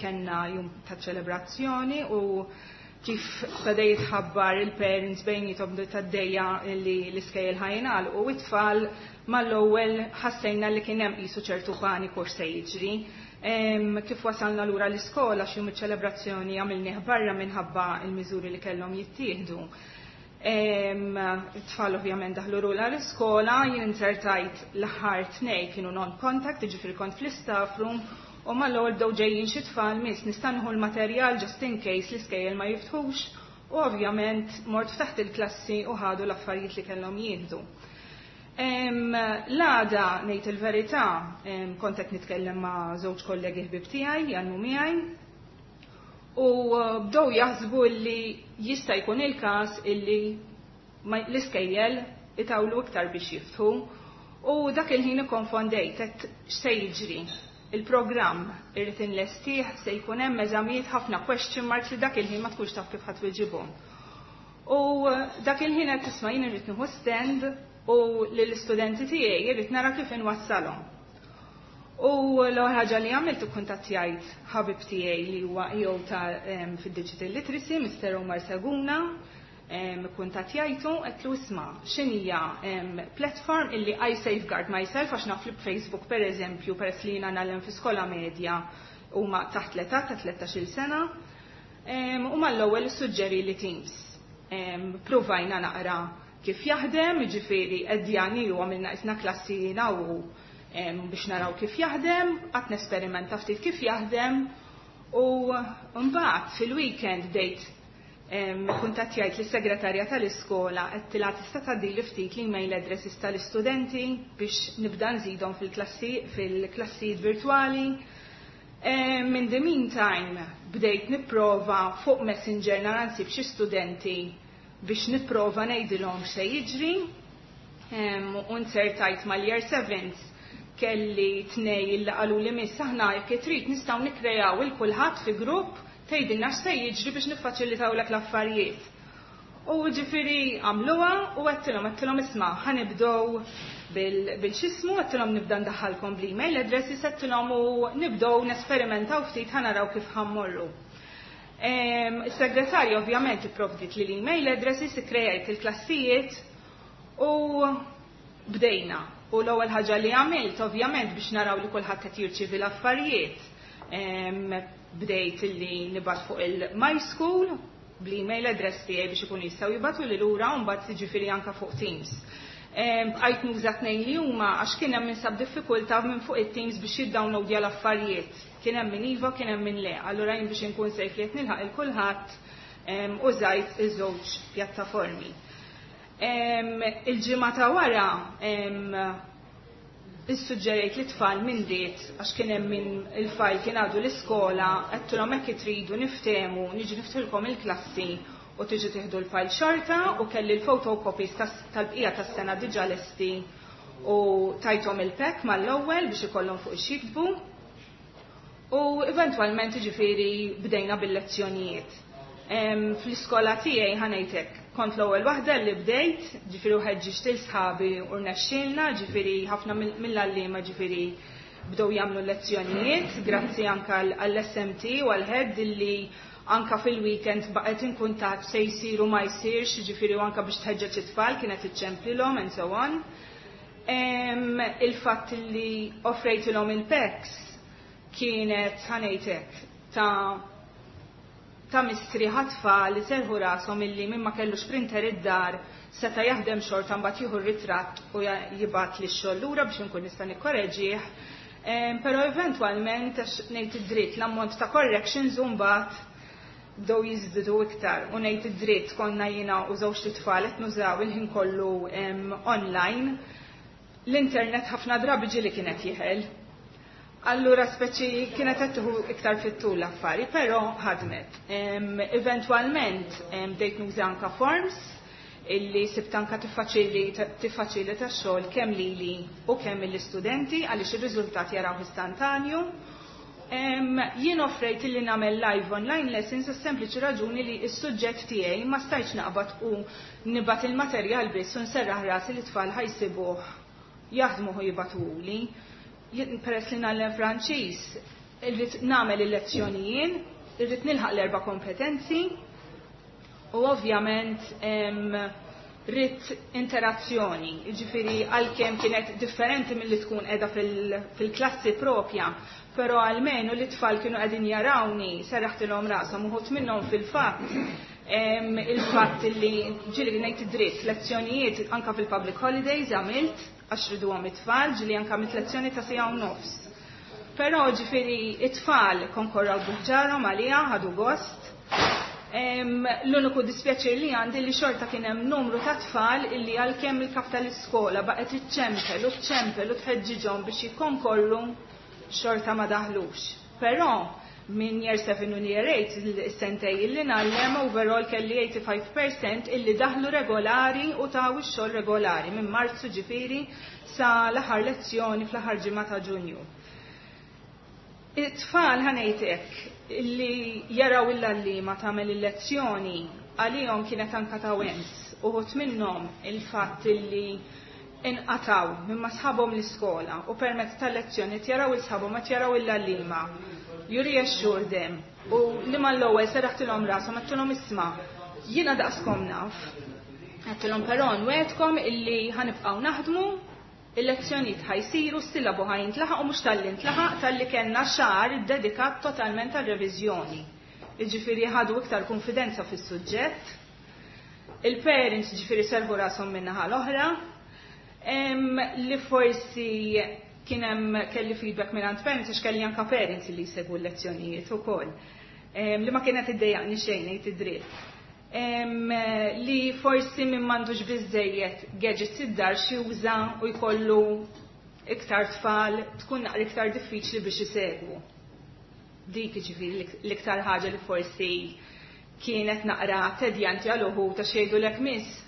kellna jum ta' ċelebrazzjoni u kif beda jitħabbar il-parents bejniethom tad-dejja li l-iskejjel ħa jingħalqu u it-tfal, mal-ewwel ħassejna li kien hemm qisu ċertu paniku se jiġri. Kif wasalna lura l-iskola, xi jum iċ-ċelebrazzjoni għamilnieh barra minħabba il-miżuri li kellhom jittieħdu. It-tfal ovvjament daħlu lura l-iskola, jien inzertajt l-aħħar tnej kienu non-contact, jiġifieri kont fl-istaff room, u mal-ewwel bdew ġejjin xi tfal: "Miss, nista' nieħu l-materjal just in case l-iskejjel ma jiftħux?" U ovvjament mort ftaħt il-klassi u ħadu l-affarijiet li kellhom jieħdu. L-għada, ngħid il-verità, kont qed nitkellem ma' żewġ kollegi ħbib tiegħi jgħallmu miegħi u bdew jaħsbu li jista' jkun il-każ illi l-iskejjel itawlu iktar biex jiftħu, u dak il-ħin ikkonfondejt, għedt x'se jiġri, il-programm irrid inlestih, se jkun hemm eżamijiet, ħafna question marks li dak il-ħin ma tkunx taf kif ħadd tweġibhom. U dak il-ħin qed tisma' jien irrid nieħu stand u lill-istudenti tiegħi irrid nara kif inwassalhom. U l-ewwel ħaġa li għamilt, ikkuntattjajt ħabib tiegħi li huwa E O ta' fid-digital literacy, Mister Omar Seguna, kuntattjajtu, għedtlu: "Isma', x'inhija platform illi I safeguard myself, għax naf li Facebook, per eżempju, peress li jiena ngħallem fi skola medja, huma taħt l-età ta' tlettax-il sena?" U mal-ewwel suġġeri li Teams. Provajna naqra kif jaħdem, ġifieri edjani u għamilna isna klassi u biex naraw kif jaħdem, għat nesperimenta ftit kif jaħdem, u mbagħad fil-weekend bdejt kuntattjajt lis-segretarja tal-iskola, għedtilha: "Tista' tgħaddili ftit l-email addresses tal-istudenti biex nibda nżidhom fil-klassi fil-klassijiet virtwali?" In the meantime bdejt nipprova fuq Messenger nara nsib xi studenti biex nipprova ngħidilhom x'se jiġri. U nzertajt mal-year sevens kelli tnej illi qalu li: "Miss, aħna jekk trid nistgħu nikkrejaw il kulħadd fi grupp, tgħidilna x'se jiġri biex niffaċilitawlek l-affarijiet." U ġifieri għamluha u għedtilhom, għedtilhom isma', ħa nibdew bil-xismu, għedtilhom nibda ndaħħalkom bl-email addresses, għedtilhom u nibdew nesperimentaw ftit, ħa naraw kif ħa mmorru. Is-segretarja ovvjament ipprovdit li l-email addresses, ikkrejajt il-klassijiet u bdejna. U l-ewwel ħaġa li għamilt ovvjament biex naraw li kulħadd qed jirċievi l-affarijiet, bdejt illi nibgħat fuq il-My School bl-email address tiegħi biex ikunu jistgħu jibagħtu li lura u mbagħad jiġifieri anke fuq Teams. Bqajt nuża tnejn li huma għax kien hemm min sab diffikultà minn fuq it-Teams biex jiddownloadja l-affarijiet. Kien hemm min iva, kien hemm min le. Allura jien biex inkun safe li qed nilħaq il kulħadd użajt iż-żewġ pjattaformi. Il-ġimgħa ta' wara issuġġerejt li tfal minn diet, għax kien hemm min il-file kien għadu l-iskola, għedtilhom hekk tridu niftehmu, niġi niftħilkom il-klassi u tiġi tieħdu l-file xorta, u kelli l-photocopies tal-bqija tas-sena diġà lesti u tajthom il-pack mal-ewwel biex ikollhom fuq ix-jiktbu. U eventwalment ġifieri bdejna bil-lezzjonijiet. Fl-iskola tiegħi ħa ngħidlek, kont l-ewwel waħda li bdejt, ġifieri ħeġġiġt lil sħabi u rnexxielna, ġifieri ħafna mill-għalliema ġifieri bdew jagħmlu lezzjonijiet, grazzi anke għall-S M T u għall-head illi anka fil-weekend baqgħet in kuntatt se jsiru ma jsirx, ġifieri u anka biex tħeġġeġ it-tfal kienet iċċemplilhom and so on. Il-fatt li offrejtilhom il-packs kienet, ħa ngħidlek, ta' ta' mistrieħ għat-tfal li serħu rashom illi min ma kellux printer id-dar seta' jaħdem xorta, mbagħad jieħu r-ritratt u jibgħat li x-xogħol lura biex inkun nista' nikkoreġih. Però eventwalment, għax ngħid id-dritt, l-ammont ta' corrections mbagħad bdew jiżdiedu iktar u ngħid id-dritt konna jiena u żewġ tfal qed nużaw il-ħin kollu online. L-internet ħafna drabi ġieli kienet jeħel. Allura speċi kienet qed tieħu iktar fit-tul l-affari, però ħadmet. Eventwalment bdejt nuża anka forms illi sibt anka tiffaċilita x-xogħol kemm lili u kemm l-istudenti għaliex ir-riżultat jaraw istantanju. Jien offrejt illi nagħmel live online lessons għas-sempliċi raġuni li s-suġġett tiegħi ma stajtx naqbad u nibgħat il-materjal biss u nserraħ rasi li tfal ħa jsibuh jaħdmu u jibagħtuhuli. Peress li ngħallem Franċiż, irrid nagħmel il-lezzjonijiet, irrid nilħaq l-erba' kompetenzi u ovvjament rrid interazzjoni, ġifieri għalkemm kienet differenti milli tkun qiegħda fil-klassi propja, però almenu li tfal kienu qegħdin jarawni, serraħtilhom rashom. Uħud minnhom fil-fatt il-fatt li ġieli, ngħid dritt, lezzjonijiet anka fil-public holidays għamilt għax riduhom it-tfal, ġieli anka għamilt lezzjoni ta' siegħa u nofs. Però ġifieri it-tfal konkorraw bi ħġarhom għalija, ħadu gost. L-uniku dispjaċir li għandi li xorta kien hemm numru ta' tfal illi għalkemm il-kap tal-iskola baqgħet iċċempel u ċempel u tħeġġiġhom biex jikkonkorru, xorta ma daħlux. Però minn year seven u year eight, il-sentejn illi ngħallem, overall kelli tmien u tmenin fil-mija illi daħlu regolari u taw ix-xogħol regolari minn Marzu ġifieri sa l-aħħar lezzjoni fl-aħħar ġimgħa ta' Ġunju. It-tfal, ħa ngħidlek, illi jaraw il-għalliema tagħmel il-lezzjoni għalihom kienet anka ta' wens. Uħud minnhom il-fatt illi inqataw minn ma sħabhom l-iskola u permezz tal-lezzjoni jaraw il-sħabhom ma jaraw il-għalliema. You reassure them u li mal-ewwel serraħtilhom rashom, għedtilhom isma', jiena daqskom naf. Għedtilhom però nwegħedkom illi ħa nibqgħu naħdmu, il-lezzjonijiet ħa jsiru, s-sillabu ħa jintlaħaq u mhux talli ntlaħaq, talli kellna xahar iddedikat totalment għal-reviżjoni. Jiġifieri ħadu iktar konfidenza fis-suġġett. Il-parents ġifieri serħu rashom min-naħa l-oħra. Li forsi kien hemm kelli feedback minn għand parents, għax kelli anka parents li jsegwu l-lezzjonijiet ukoll. Li ma kienet iddejjaqni xejn, ngħid id-dritt. Li forsi min m'għandux biżejjed gadgets id-dar xi juża u jkollu iktar tfal tkun naqra iktar diffiċli biex isegwu. Dik ġifieri l-iktar ħaġa li forsi kienet naqra tedjanti għal uħud ta' xejdu lek miss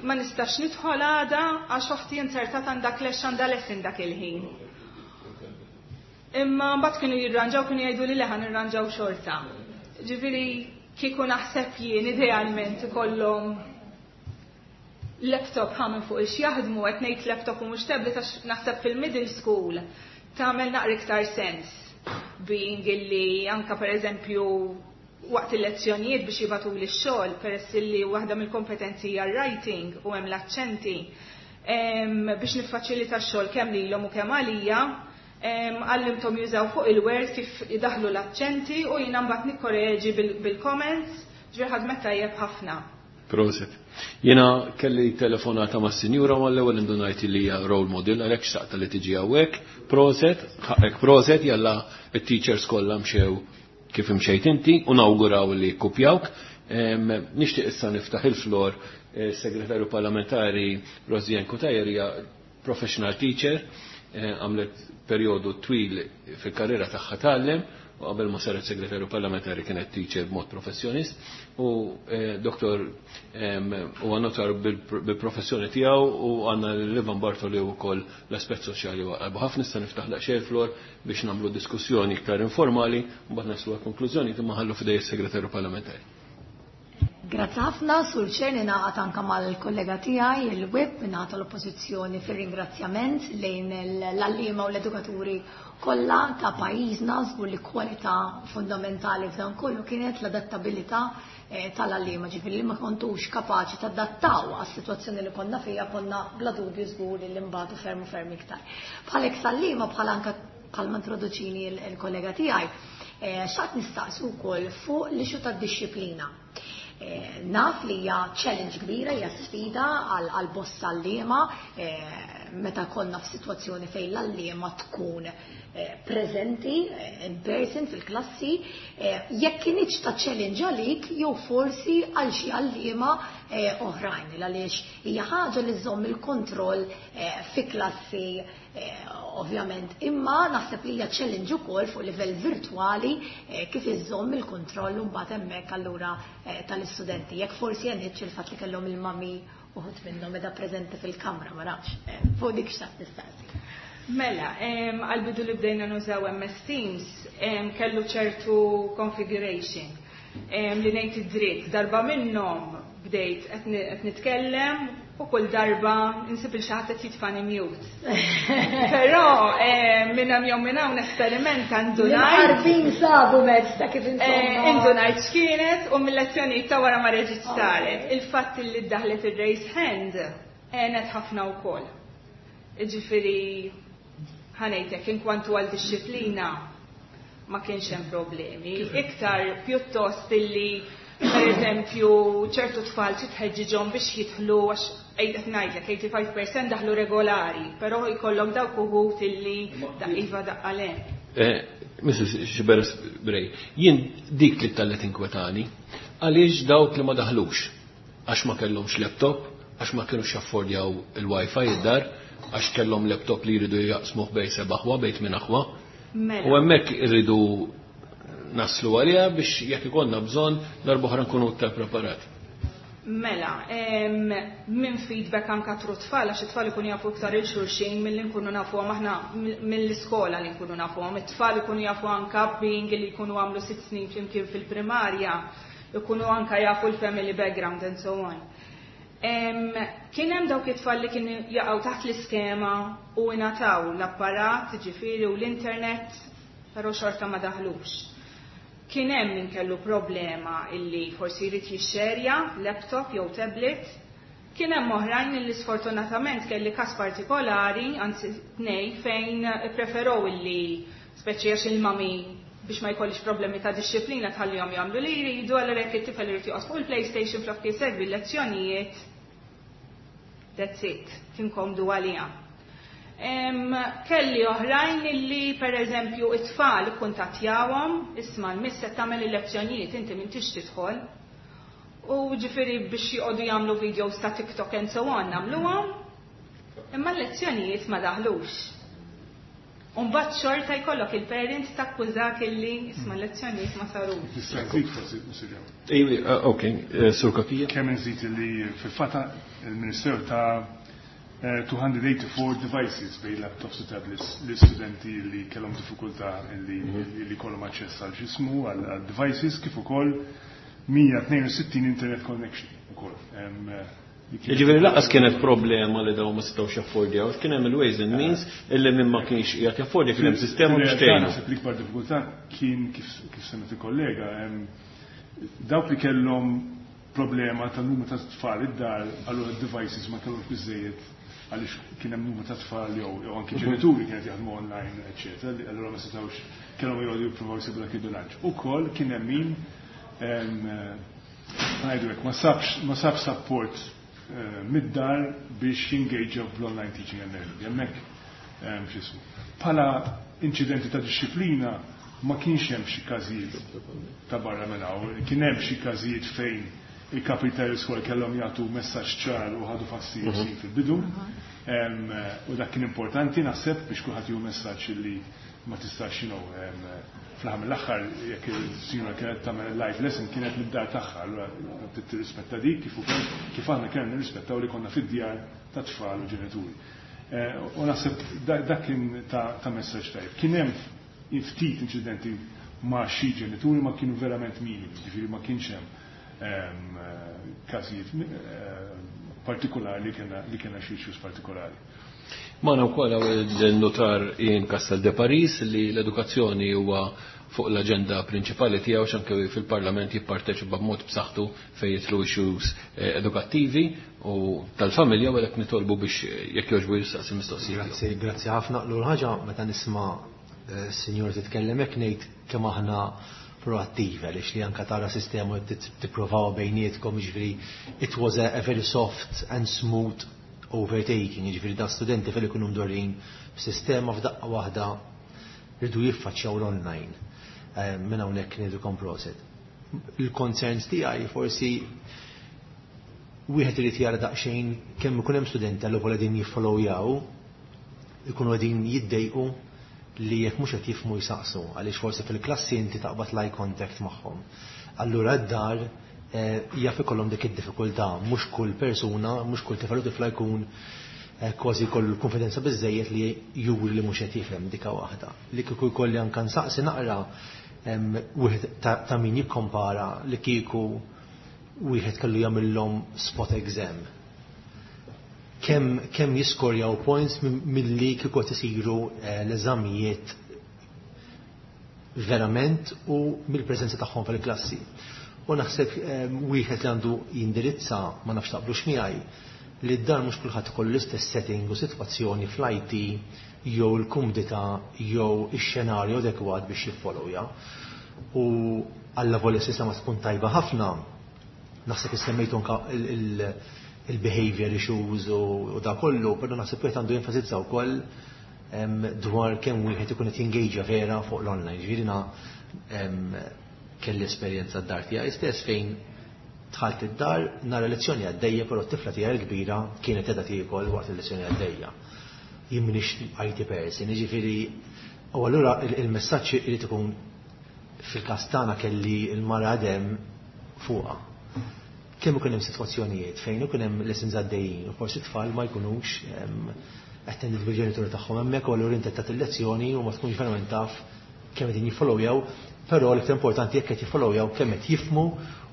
ma nistax nidħol għada għax oħti inzertat għandha clash, għandha lesson dak il-ħin. Imma mbagħad kienu jirranġaw, kienu jgħidu li leħan irranġaw xorta. Ġifieri kieku naħseb jien idealment ikollhom Laptop ħa minn fuq ix jaħdmu, qed ngħid laptop u mhux tablet għax naħseb fil-middle school tagħmel naqra iktar sens, being illi anka per eżempju waqt il-lezzjonijiet biex jibagħtu li x-xogħol, peress illi waħda mill-kompetenzi hija writing u hemm l-aċċenti, biex niffaċilita x-xogħol kemm lilhom u kemm għalija, għallimthom jużaw fuq il-Word kif idaħlu l-aċċenti u jiena mbagħad nikkoreġi bil-comments, ġifieri ħadmet tajjeb ħafna. Prosit. Jiena kelli telefonata ma' sinjura ma l-ewwel indunajt li hija role model, għalhekk xtaqta li tiġi hawnhekk. Prosit, ħaqek prosit, jalla it-teachers kollha mxew kif imxejt inti u nawguraw li kopjawk. Nixtieq issa niftaħ il-flor, eh, segretarju parlamentari Rosianne Cutajar hija professional teacher, eh, għamlet perjodu twil fil-karriera tagħha tgħallem u qabel ma saret segretarju parlamentari kienet teacher b'mod professjonist u eh, doktor u notar bil-professjoni tiegħu u għandna l-Ivan Bartoli wkoll l-aspett soċjali u qalbu ħafna. Nista' niftaħ daqsxejn flor biex nagħmlu diskussjoni iktar informali u mbagħad naslu għal konklużjoni, imma ħallu f'idej is-segretarju parlamentari. Grazzi ħafna, Sur Chair, ningħaqad anka mal-kollega tiegħi il-Whip mingħata l-Oppożizzjoni fir-ringrazzjament lejn l-għalliema u l-edukaturi kollha ta' pajjiżna. Żgur li kwalità fundamentali f'dan kollu kienet l-adattabilità eh, tal-għalliema, ġifieri li ma kontux kapaċi tadattaw għas-sitwazzjoni li konna fija, konna bla dubju żgur li mbagħtu ferm u ferm iktar. Bħalek sal-liema, bħal anka bħalma introduċini il-kollega tiegħi, eh, xtaqt nistaqsu wkoll fuq l-issue tad-dixxiplina. Eh, naf li hija challenge kbira, hija sfida għal bosta għalliema eh, meta konna f'sitwazzjoni fejn l-għalliema tkun eh, preżenti in person fil-klassi, jekk kinitx ta' challenge għalik jew forsi għal xi għalliema oħrajn, għaliex hija ħaġa li żomm il-kontroll fi klassi ovvjament, imma naħseb li hija challenge ukoll fuq livell virtwali kif iżomm il-kontroll mbagħad hemmhekk allura tal-istudenti. Jekk forsi għenitx il-fatt li kellhom il-mami uħud minnhom meta preżenti fil-kamra, ma nafx, fuq dik xtaqt nistaqsi. Mela, għal-bidu li bdejna nużaw M S Teams, kellu ċertu configuration li ngħid id-dritt. Darba minnhom bdejt qed nitkellem u kull darba insib il xi ħadd qed jitfani mute. Però minn hemm jew minn hawn esperiment għandu ngħid. Sabu mezz ta' kif insomma. Indunajt x'kienet u mill-lezzjonijiet ta' wara ma reġgħet saret. Il-fatt li ddaħlet ir-raise hand għenet ħafna wkoll. Ġifieri ħa ngħidlek, inkwantu għal dixxiplina ma kienx hemm problemi. Iktar pjuttost illi per eżempju ċertu tfal titħeġġiġhom biex jidħlu, għax qed ngħidlek tmien u tmenin fil-mija daħlu regolari, però jkollok dawk uħud illi iva daqqa le. Eh, Missus Sciberras Bray, jien dik li tallet inkwetani, għaliex dawk li ma daħlux, għax ma kellhomx laptop, għax ma kienux jaffordjaw il-Wi-Fi id-dar, għax kellhom laptop li jridu jaqsmuh bejn seba' aħwa, bejn tmien aħwa. Mela. U hemmhekk irridu naslu għaliha biex jekk ikollna bżonn darb'oħra nkunu iktar preparati. Mela, minn feedback anka through tfal, għax it-tfal ikunu jafu iktar il-xulxin mill-li nkunu nafuhom aħna mill-iskola li nkunu nafuhom. It-tfal ikunu jafu anka being li jkunu għamlu sitt snin flimkien fil-primarja, ikunu anka jafu l-family background and so on. Kien hemm dawk it-tfal li kienu jaqgħu taħt l-iskema u ingħataw l-apparat, ġifieri, u l-internet, però xorta ma daħlux. Kien hemm min kellu problema illi forsi jrid jixxerja laptop jew tablet. Kien hemm oħrajn illi sfortunatament kelli każ partikolari, anzi tnej, fejn preferow illi speċi għax il-mami biex ma jkollix problemi ta' dixxiplina tħallihom jagħmlu li jridu, allura jekk it-tifel irid joqgħod fuq il-PlayStation flok jsegwi l-lezzjonijiet, that's it, kien komdu għaliha. Kelli oħrajn illi per eżempju it-tfal kuntattjawhom, "Isma', l-miss qed tagħmel il-lezzjonijiet, inti m'intix tidħol." U ġifieri biex joqogħdu jagħmlu videos ta' TikTok and so on nagħmluhom, imma l-lezzjonijiet ma daħlux. Umbagħad xorta jkollok il-parents takkużak illi isma', l-lezzjonijiet ma sarux. Nista' nżid forsi, Mr Ejwi, ok, eh, Sur Cachia. Kemm nżid li fil-fatt il-Ministeru ta two hundred eighty-four devices bejn laptops u tablets l-istudenti li kellhom diffikultà li li kollhom aċċess għal x'jismu għal devices, kif ukoll mija tnejn u sittin internet connection ukoll. Ġifieri lanqas kienet problema li dawn ma setgħux jaffordjaw, kien hemm il-ways and means illi min ma kienx qiegħed jaffordja kien hemm sistema biex tgħinu. Naħseb l-ikbar diffikultà kien kif kif semmet il-kollega, dawk li kellhom problema ta' numru ta' tfal id-dar, allura devices ma kellhomx biżejjed għaliex kien hemm numru ta' tfal jew jew anki ġenituri kienet jaħdmu online, eċetera, li allura ma setgħux kellhom jgħodu jippruvaw jsibu dak il-bilanċ. Ukoll kien hemm min ngħidu hekk ma sabx ma sabx support mid-dar biex jingaġa bl-online teaching and learning. Hemmhekk x'ismu. Bħala inċidenti ta' disċiplina ma kienx hemm xi każijiet ta' barra minn hawn, kien hemm xi każijiet fejn il-kapi tal-iskola kellhom jagħtu messaġġ ċar u ħadu fastidju fil-bidu. U dak kien importanti naħseb biex kulħadd jieħu messaġġ li ma tistax you know, fl-aħħar mill-aħħar jekk il-sinjura kienet tagħmel live lesson kienet mid-dar tagħha, allura tirrispetta dik kif ukoll kif aħna kellna nirrispettaw li konna fid-djar ta' tfal u ġenituri. U naħseb dak kien ta' messaġġ tajjeb. Kien hemm ftit inċidenti ma' xi ġenituri ma kienu verament minimi, ġifieri ma kienx hemm każijiet partikolari li kellna xi issues partikolari. Magħna wkoll il-notar Ian Castel de Paris li l-edukazzjoni huwa fuq l-aġenda prinċipali tiegħu x'anke fil-Parlament jipparteċipa b'mod b'saħħtu fejn jidħlu issues edukattivi u tal-familja u għalhekk nitolbu biex jekk jogħġbu jistaqsi mistoqsijiet. Grazzi, grazzi ħafna. L-ewwel ħaġa meta nisma' s-sinjur titkellem hekk ngħid kemm aħna proattiva għaliex li anka tara sistema tippruvaw bejnietkom, jiġifieri it was a, a very soft and smooth overtaking, jiġifieri da studenti fil ikunu mdorrin b'sistema f'daqqa waħda rridu jiffaċċjaw l-online. Minn hawnhekk ngħidulkom proset. Il-concerns tiegħi forsi wieħed irid jara daqsxejn kemm ikun hemm studenti għal qegħdin jiffollowjaw, ikunu qegħdin jiddejqu li jekk mhux qed jifhmu jsaqsu, għaliex forsi fil-klassi inti taqbad l-eye contact magħhom. Allura d-dar jaf ikollhom dik id-diffikultà, mhux kull persuna, mhux kull tifel u tifla jkun kważi jkollu l-konfidenza biżejjed li juri li mhux qed jifhem dika waħda. Li kieku jkolli anke nsaqsi naqra wieħed ta' min jikkompara li kieku wieħed kellu jagħmilhom spot exam. Kemm kemm jiskorjaw points milli kieku qed isiru l-eżamijiet verament u mill-preżenza tagħhom fil-klassi. U naħseb wieħed li għandu jindirizza ma nafx taqblux miegħi li d-dar mhux kulħadd ikollu l-istess setting u sitwazzjoni fl-I T jew il-kumdità jew ix-xenarju adekwat biex jiffollowja. U alla volja sistema tkun tajba ħafna, naħseb issemmejtu anka il-behavior issues u da kollu, però naħseb wieħed għandu jenfasizza wkoll dwar kemm wieħed ikun qed jingaġa vera fuq l-online. Ġifieri kelli esperjenza d-dar tiegħi stess fejn dħalt id-dar nara lezzjoni għaddejja, però t-tifla tiegħi l-kbira kienet qiegħda tiekol waqt il-lezzjoni għaddejja. Jien m'iniex I T person, jiġifieri u allura il-messaġġ irid ikun fil-każ tagħna kelli l-mara għadem fuqha. Kemm ikun hemm sitwazzjonijiet fejn ikun hemm lessons għaddejjin u forsi tfal ma jkunux attended bil-ġenituri tagħhom hemmhekk u allura inti tagħti il-lezzjoni u ma tkunx verament taf kemm qegħdin jiffollowjaw, però l-iktar importanti jekk qed jiffollowjaw kemm qed jifhmu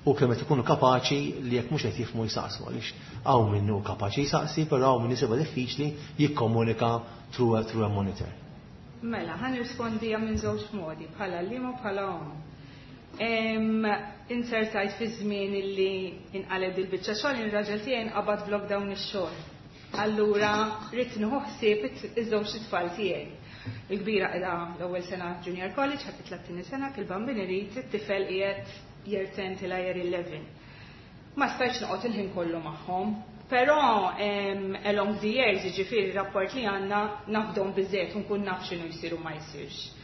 u kemm qed ikunu kapaċi li jekk mhux qed jifhmu jsaqsu, għaliex hawn minnu kapaċi jsaqsi, però hawn min isibha diffiċli jikkomunika through a, through a monitor. Mela, ħa nirrispondi minn żewġ modi, bħala għalliema u bħala omm. Insertajt fi żmien illi inqaleb il-biċċa xogħol, ir-raġel tiegħi nqabad f'lockdown ix-xogħol. Allura rrid nieħu ħsieb iż-żewġ tfal tiegħi. Il-kbira qiegħda l-ewwel sena junior college, ħadd tlattini sena, il-bambin irid it-tifel qiegħed year ten til year eleven. Ma stajtx noqgħod il-ħin kollu magħhom, però along the years, jiġifieri rapport li għandna nafdhom biżejjed u nkun naf x'inhu jsir u ma jsirx.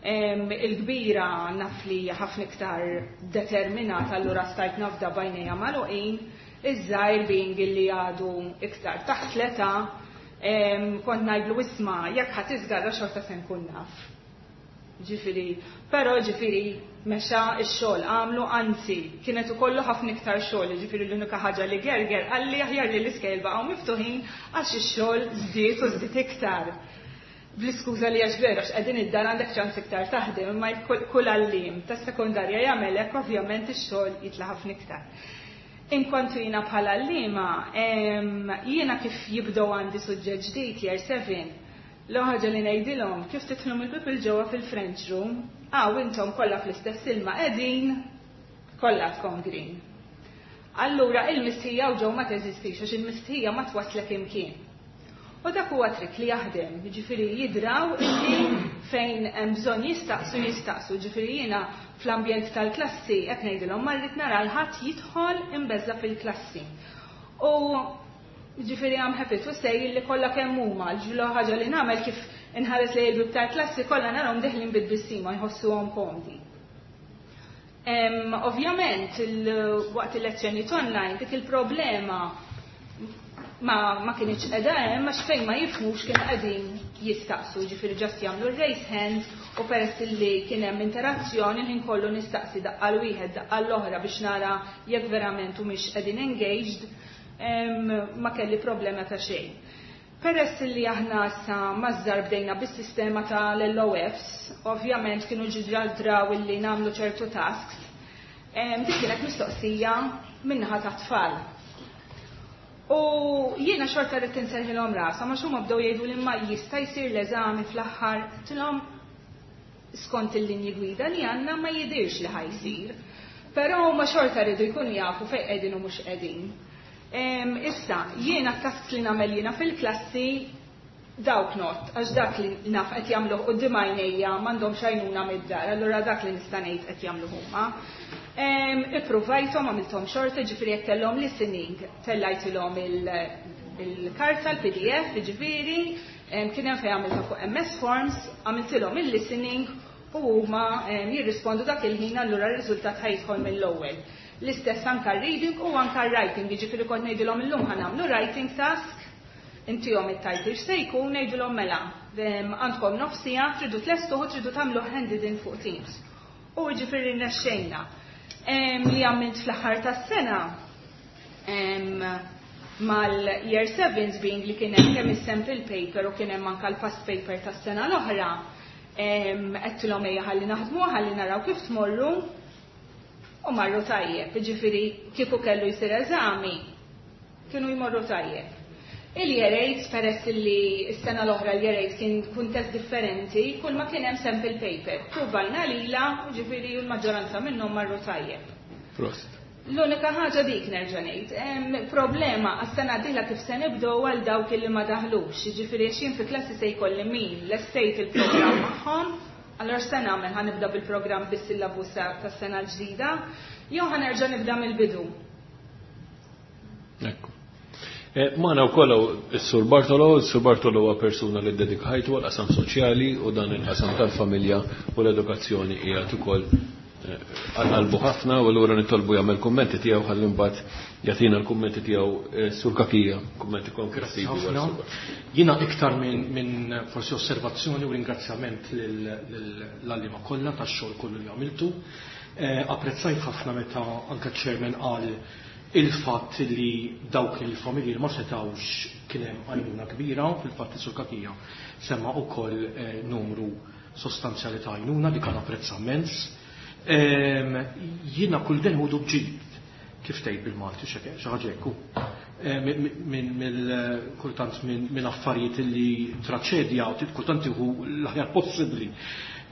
Il-kbira naf li hija ħafna iktar determinata, allura stajt nafda bajnejja magħluqin, iż-żgħir being illi għadu iktar taħt l-età, kont ngħidlu isma' jekk ħadd iżgarra xorta se nkun naf. Ġifieri, però ġifieri mexa x-xogħol għamlu, anzi kienet ukollu ħafna iktar xogħol, ġifieri l-unika ħaġa li gerger qalli aħjar li l-iskejl baqgħu miftuħin għax ix-xogħol żdied u żdied iktar. Bl-iskuża li għax vera x'qegħdin id-dar għandek ċans iktar taħdem, imma kull għalliem tas-sekondarja jagħmel hekk, ovvjament ix-xogħol jitla' ħafna iktar. Inkwantu jiena bħala għalliema, jiena kif jibdew għandi suġġett ġdid year seven, l-ħaġa li ngħidilhom kif tidħlu mill-bieb 'il ġewwa fil-French room, għaw intom kollha fl-istess ilma qegħdin, kollha tkun green. Allura il-mistħija u ġew ma teżistix għax il-mistħija ma twaslek imkien. U dak huwa trick li jaħdem, ġifieri jidraw illi fejn hemm bżonn jistaqsu jistaqsu, ġifieri jiena fl-ambjent tal-klassi qed ngħidilhom ma rrid nara 'l ħadd jidħol imbeżża' fil-klassi. U ġifieri I'm happy to say li kollha kemm huma, l ħaġa li nagħmel kif inħares lejn il-bieb tal-klassi kollha narahom deħlin bit-tbissima jħossuhom komdi. Ovvjament, waqt il-lezzjoni online, dik il-problema ma, ma kienx qiegħda hemm għax fejn ma jifhmux kienu qegħdin jistaqsu, ġifieri just jagħmlu raise hand u peress li kien hemm interazzjoni ħin kollu nistaqsi daqqa 'l wieħed daqqa l-oħra biex nara jekk verament u mhix qegħdin engaged, ma kelli problema ta' xejn. Peress li aħna sa maż-żgħar bdejna bis-sistema tal-L O Fs, ovvjament kienu ġa draw illi nagħmlu ċertu tasks, dik kienet mistoqsija min-naħa ta' tfal. U jiena xorta rrid inserħilhom rasa, ma xumma bdew jgħidu li ma jista' jsir l-eżami fl-aħħar, għedtilhom skont il-linji gwida li għandna ma jidirx li ħa jsir. Però ma xorta rridu jkunu jafu fejn qegħdin u mhux qegħdin. Issa, jiena tasks li nagħmel jiena fil-klassi dawk not, għax dak li naf qed jagħmluh quddiem għajnejja, m'għandhomx għajnuna mid-dar, allura dak li nista' ngħid qed jagħmlu huma. Ippruvajthom għamilthom xorta, ġifieri jekk kellhom listening, tellajtilhom il-karta, l-P D F, ġifieri, kien hemm fejn għamilta fuq M S Forms, għamiltilhom il-listening u huma jirrispondu dak il-ħin, allura r-riżultat ħa jidħol mill-ewwel. L-istess anka reading u anka writing, jiġifieri kont ngħidilhom illum ħa nagħmlu writing task, intihom it-title x'se jkun, ngħidilhom mela, għandkom nofs siegħa, tridu tlestuh, tridu tagħmlu handed in fuq Teams. U ġifieri nexxejna. Li għamilt fl-aħħar tas-sena mal-year sevens, being li kien hemm kemm is-sample paper u kien hemm anka l-past paper tas-sena l-oħra, għedtilhom ejja ħalli naħdmu, ħalli naraw kif tmorru, u marru tajjeb, ġifieri kieku kellu jsir eżami, kienu jmorru tajjeb. Il-year eight, peress li s-sena l-oħra l-year eight kien kuntest differenti, kull ma kien hemm sample paper. Provajna lila, ġifieri l-maġġoranza minnhom marru tajjeb. Prosit. L-unika ħaġa dik nerġa' ngħid, problema għas-sena dieħla kif se nibdew għal dawk li ma daħlux, jiġifieri għax jien fi klassi se jkolli min lestejt il-programm magħhom, allora se nagħmel? Ħa nibda bil-programm bis-syllabus tas-sena l-ġdida, jew ħa nerġa' nibda mill-bidu? Ekku. Eh, Magħna wkoll is-Sur Bartolo, is-Sur Bartolo huwa persuna li ddedika ħajtu għal-qasam soċjali u dan il-qasam tal-familja u l-edukazzjoni qiegħed ukoll eh, għal-qalbu ħafna u allura nitolbu jagħmel kummenti tiegħu ħalli mbagħad jagħtina l-kummenti tiegħu eh, Sur Cachia, kummenti konkreti. Ħafna. Jiena iktar minn min forsi osservazzjoni u ringrazzjament l-għalliema kollha tax-xogħol kollu li għamiltu. Eh, apprezzajt ħafna meta anke chairman qal il-fatt li dawk il-familji li ma setawx kien hemm għajnuna kbira, fil-fatt Sur Cachia semma ukoll eh, numru sostanzjali ta' għajnuna li kan apprezza immens. Em, Jiena kull deni hu bġid, kif tgħid bil-Malti, xi ħaġa hekk hu. Eh, Minn mill kultant minn minn affarijiet li traċedja u kultant iħu l-aħjar possibbli.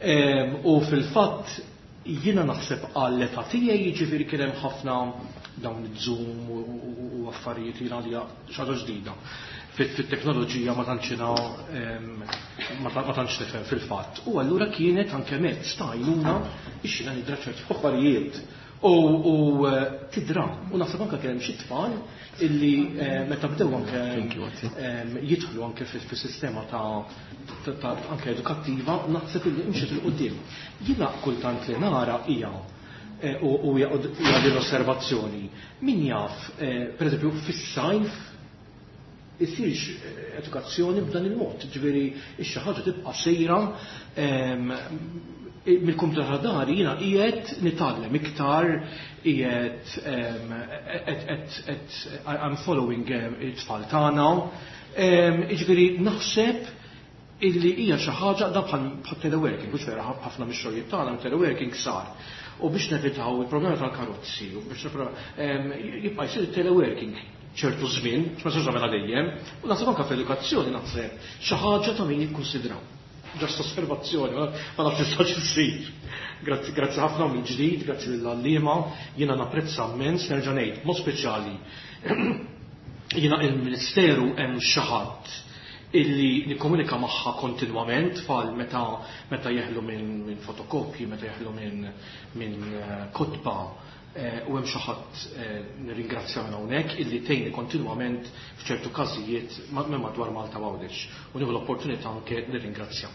Em, U fil-fatt jiena naħseb għall-età tiegħi, jiġifieri kien hemm ħafna dawn iż-Zoom u- u u affarijiet li għalija xi ħaġa ġdida. Fit-teknoloġija ma tantx em, ma ta- ma tantx nifhem fil-fatt. U allura kienet anke mezz ta' għajnuna biex jiena nidra ċerti affarijiet. U, u eh, tidra, u naħseb anke kien hemm xi tfal illi eh, meta bdew anke em, jidħlu anke fis-sistema ta' ta- ta' anke edukattiva, naħseb illi imxiet 'il quddiem. Jiena kultant li nara hija eh, u u hija hija din l-osservazzjoni. Min jaf, eh, per eżempju, fis-sajf isirx eh, edukazzjoni b'dan il-mod, ġifieri xi ħaġa tibqa' sejra em, mill-kumputer ta' dari jiena qiegħed nitgħallem iktar, qiegħed em, qed- qed- qed- I'm following em, it-tfal tagħna. Em, Jiġifieri naħseb Illi hija xi ħaġa da bħal teleworking, mhux vera ħafna mix-xogħlijiet tagħna teleworking sar. U biex nevitaw il-problema tal-karozzi, u biex jibqa' jsir teleworking ċertu żmien, ma sarx nagħmilha dejjem, u naħseb anke fl-edukazzjoni naħseb xi ħaġa ta' min jikkunsidraw. Ġast osservazzjoni, ma nafx tistax issir. Grazzi, grazzi ħafna mill-ġdid, grazzi lill-għalliema, jiena napprezza immens, nerġa' ngħid, mod speċjali. Jiena il-Ministeru hemm xi ħadd illi nikkomunika magħha kontinwament tfal meta meta jeħlu minn min fotokopji, meta jeħlu minn min kotba, u hemm xi ħadd nirringrazzja minn hawnhekk illi tgħinni kontinwament f'ċertu każijiet minn madwar Malta Għawdex. U nieħu l-opportunità anke nirringrazzja.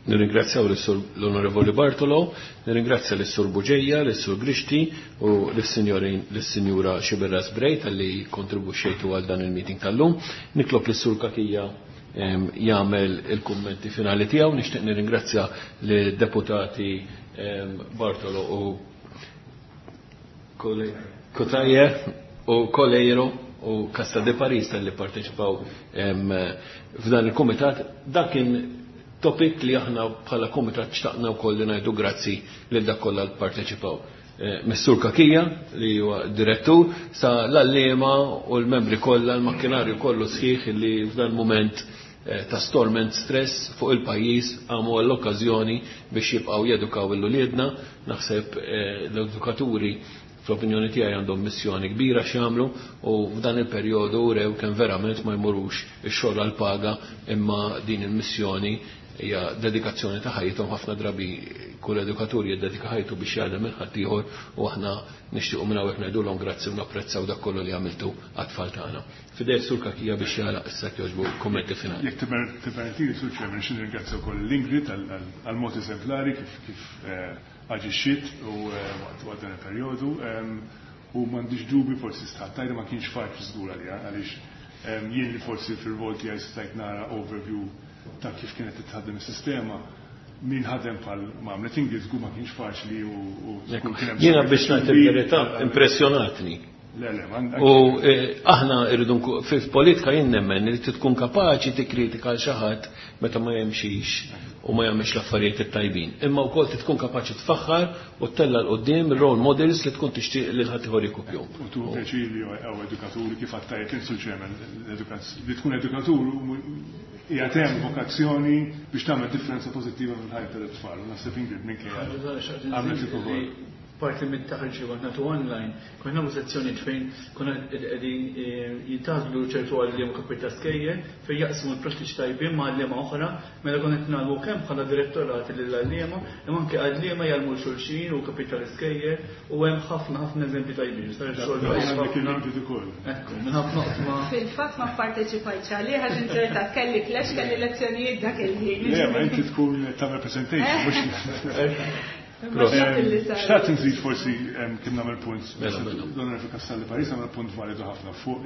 Nirringrazzjaw l-Onorevoli Bartolo, nirringrazzja lis-Sur Buġeja, lis-Sur Grixti u lis-Sinjura Xiberras Brej talli kontribwixxejtu għal dan il-meeting tal-lum. Nitlob lis-Sur Cachia jagħmel il-kummenti finali tiegħu. Nixtieq nirringrazzja lid-deputati Bartolo u Cutajar u Coleiro u Casta de Paris tal-li parteċipaw f'dan il-komitat. Dak kien topic li aħna bħala komitat xtaqna wkoll li ngħidu grazzi lil dak kollha li parteċipaw. Missur Cachia li huwa direttur sa l-għalliema u l-membri kollha, l-makkinarju kollu sħiħ li f'dan moment ta' storm and stress fuq il-pajjiż għamu għall-okkażjoni biex jibqgħu jedukaw il-uliedna. Naħseb l-edukaturi fl-opinjoni tiegħi għandhom missjoni kbira x'jagħmlu u f'dan il-perjodu rew kemm verament ma jmurux ix-xogħol għall paga imma din il-missjoni hija dedikazzjoni ta' ħajjithom. Ħafna drabi kull edukatur jiddedika ħajtu biex jaħdem minn ħaddieħor u aħna nixtiequ minn hawnhekk ngħidulhom grazzi u napprezzaw dak kollu li għamiltu għat-tfal tagħna. Fidej Sur Cachia biex jagħlaq issa jogħġbu kummenti finali. Jekk tippermettili Sur Chairman, xi nirringrazzja wkoll l-Ingrid għall-mod eżemplari kif kif aġixxiet u waqt dan il-perjodu u m'għandix dubi forsi stħattajda ma kienx faċli żgur għalija għaliex jien li forsi fil-rwol tiegħi stajt nara overview ta' kif kienet titħaddem is-sistema, min ħadem bħal ma għamlet Ingrid żgur ma kienx faċli u żgur kien hemm. Jiena biex ngħid il-verità impressjonatni. Le, le, U aħna irridu fil-politika jien nemmen li tkun kapaċi tikkritika għal xi ħadd meta ma jemxix u ma jagħmilx l-affarijiet it-tajbin. Imma wkoll tkun kapaċi tfaħħar u ttella' l quddiem role models li tkun tixtieq lil ħadd ieħor jkupjhom. U tu pjaċir li hawn edukaturi kif għattajt insu ċemen li tkun edukatur hija hemm vokazzjoni biex tagħmel differenza pożittiva fil-ħajja tal-tfal. U naħseb Ingrid minkejja għamlet ukoll. Parti minn taħriġ li nagħtu online, konna nagħmlu sezzjonijiet fejn konna qegħdin jintgħażlu ċertu għalliema kapit ta' skejjel fejn jaqsmu l-prattiċi tajbin ma' għalliema oħra, mela konna qed nagħmlu kemm bħala direttorati lill-għalliema, imma anke għalliema jgħallmu xulxin u kapit tal-iskejjel u hemm ħafna ħafna eżempji tajbin. Sar xogħol Ekku, minn ħafna oqsma. Fil-fatt ma pparteċipajtx għalih għax inzertat kelli flash kelli lezzjonijiet dak il-ħin. Le, ma inti tkun tagħmel presentation mhux. Xtaqt nżid forsi kien nagħmel punt, l-Onorevoli Castaldi Paris għamel punt validu ħafna fuq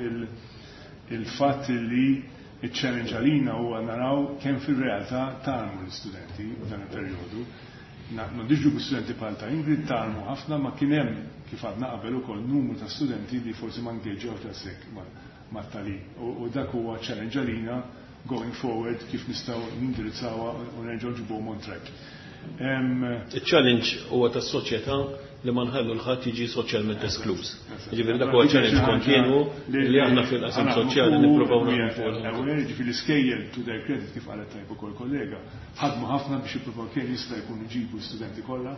il-fatt li il-challenge għalina huwa naraw kemm fir-realtà tgħallmu l-istudenti f'dan il-perjodu. M'għandix dubju studenti bħal ta' Ingrid tgħallmu ħafna, ma kien hemm kif għadna qabel ukoll numru ta' studenti li forsi ma ngeġġewx daqshekk mat-tagħlim. U dak huwa challenge għalina going forward kif nistgħu nindirizzawha u nerġgħu nġibuhom on track. Il-challenge huwa tas-soċjetà li ma nħallu l-ħadd jiġi soċjalment eskluż. Jiġifieri dak huwa challenge kontinwu li aħna fil-qasam soċjali nippruvaw naħdmu fuq. Jiġifieri l-iskejjel to their credit kif qalet tajb ukoll kollega, ħadmu ħafna biex jippruvaw kemm jista' jkun iġibu studenti kollha,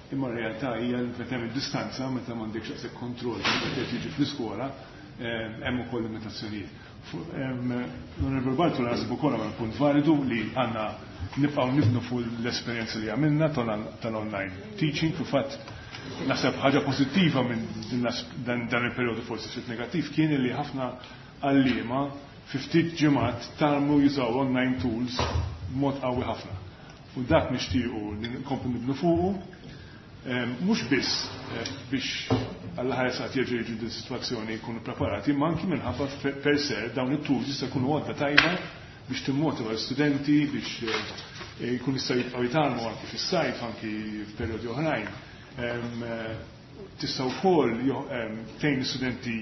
imma r-realtà hija li meta hemm id-distanza, meta m'għandekx daqshekk kontroll meta qed jiġi fl-iskola, hemm ukoll limitazzjonijiet. L-Onorevole Bartolo naħseb ukoll għamel punt validu li għandna nibqgħu nibnu fuq l-esperjenza li għamilna tal-online teaching. Fil-fatt naħseb ħaġa pożittiva minn dan il-perjodu forsi ftit negattiv kien li ħafna għalliema fi ftit ġimgħat tgħallmu jużaw online tools b'mod qawwi ħafna. U dak nixtiequ li nkomplu nibnu fuqu, mhux biss biex għall ħares qatt jerġgħu jiġu din sitwazzjoni jkunu preparati, imma anki minħabba per se dawn it-tools jista' jkunu għodda tajba biex timmotiva l-studenti biex jkun jistgħu jibqgħu jitgħallmu anki fis-sajf, anki f'perjodi oħrajn. Tista' wkoll tgħin l-istudenti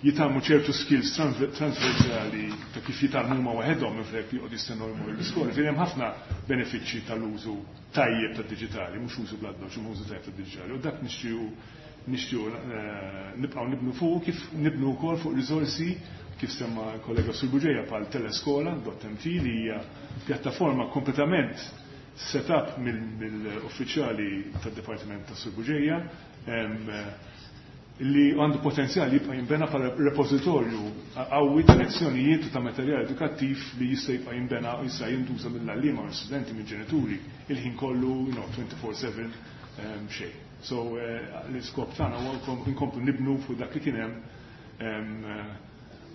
Jitgħallmu ċertu skills transversali ta' kif jitgħallmu huma waħedhom minflok li joqgħod jistennew jmorru l-iskola. Ġifieri hemm ħafna benefiċċji tal-użu tajjeb tad-diġitali, mhux użu bl-addoċċ, imma użu tajjeb tad-diġitali. U dak nixtiequ nixtiequ eh, nibqgħu nibnu fuq, kif nibnu wkoll fuq riżorsi kif semma kollega Sur Bugeja bħal teleskola punt M T, li hija pjattaforma kompletament set up mill-uffiċjali tad-Dipartiment ta' Sur Bugeja, li għandu potenzjal jibqa' jinbena bħala repożitorju qawwi ta' lezzjonijiet u ta' materjal edukattiv li jista' jibqa' jinbena u jista' jintuża mill-għalliema u l-studenti, mill-ġenituri, il-ħin kollu, you know, twenty-four seven xejn. So eh, l-iskop tagħna huwa nkomplu nibnu fuq dak li kien hemm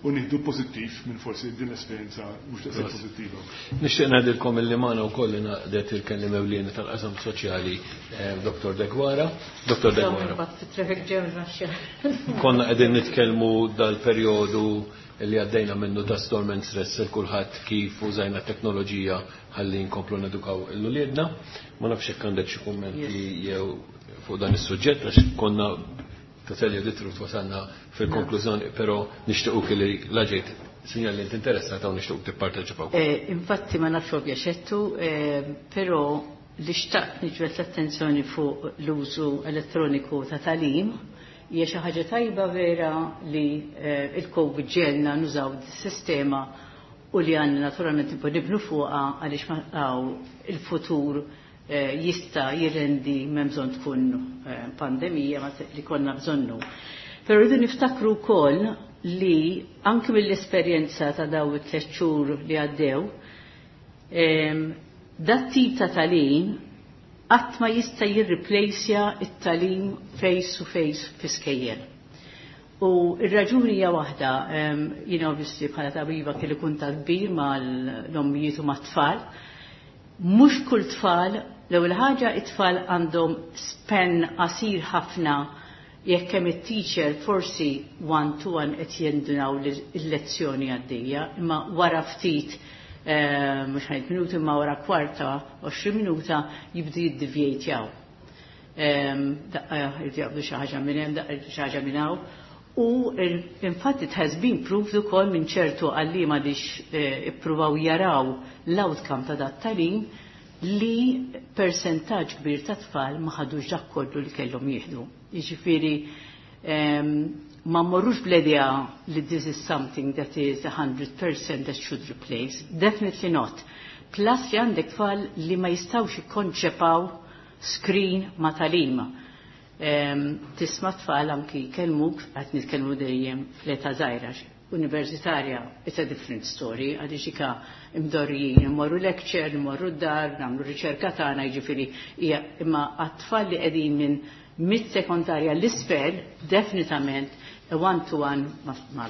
u nieħdu pożittiv minn forsi din l-esperjenza mhux daqshekk pożittiva. Nixtieq ngħidilkom illi magħna wkoll ingħaqdet il-kelliem ewlieni tal-qasam soċjali, eh, Dottor Deguara. Dottor Deguara. Konna qegħdin nitkellmu dal-perjodu li għaddejna minnu ta' storm and stress il kulħadd, kif użajna teknoloġija ħalli nkomplu nedukaw l-uliedna. Ma nafx hekk għandek xi kummenti jew fuq dan is-suġġett, għax konna, to tell you the truth, wasalna fil-konklużjoni, però nixtiequ li laġejt sinjal li interessata u nixtiequ tipparteċipaw. Eh, infatti ma nafx ovvja eh, però li xtaqt niġbed l-attenzjoni fuq l-użu elettroniku ta' tagħlim hija xi ħaġa tajba vera li eh, il-COVID ġiegħelna nużaw sistema u li għandna naturalment nibnu fuqha, għaliex il-futur Eh, jista jirrendi, m'hemm bżonn tkun eh, pandemija li konna bżonnu. Pero rridu niftakru wkoll li anki mill-esperjenza ta' daw it-tliet xhur li għaddew, dat tip ta' tagħlim qatt ma jista' jirriplejsja it-tagħlim face to face fi skejjel. U ir-raġuni hija waħda, jiena obviously bħala tabiba kelli kuntatt kbir mal-ommijiet u mat-tfal. Mhux kull tfal, l-ewwel ħaġa, it-tfal għandhom span qasir ħafna. Jekk hemm it-teacher, forsi one to one qed jindunaw l-lezzjoni għaddejja, imma wara ftit, eh, mhux ħajt minuti, imma wara kwarta, għoxrin minuta jibdu jiddivjejtjaw. Daqqa jibdu xi ħaġa minn hemm, daqqa xi ħaġa minn hawn. U infatti it has been proved ukoll minn ċertu għalliema li eh, ippruvaw jaraw l-outcome ta' dat tagħlim li percentaġġ kbir ta' tfal ma ħadux dak kollu li kellhom jieħdu. Jiġifieri ma mmorrux bl-idea li this is something that is one hundred percent that should replace. Definitely not. Plus li għandek tfal li ma jistawx jikkonċepaw screen ma tagħlim. Tisma' tfal anki jkellmuk, qed nitkellmu dejjem fl-età żgħira. Universitarja, it's a different story, għaliex ika imdorrijin, immorru lecture, immorru d-dar, nagħmlu riċerka tagħna, jiġifieri imma għat-tfal li qegħdin minn mid-sekondarja l-isfel, definitament a one-to-one ma,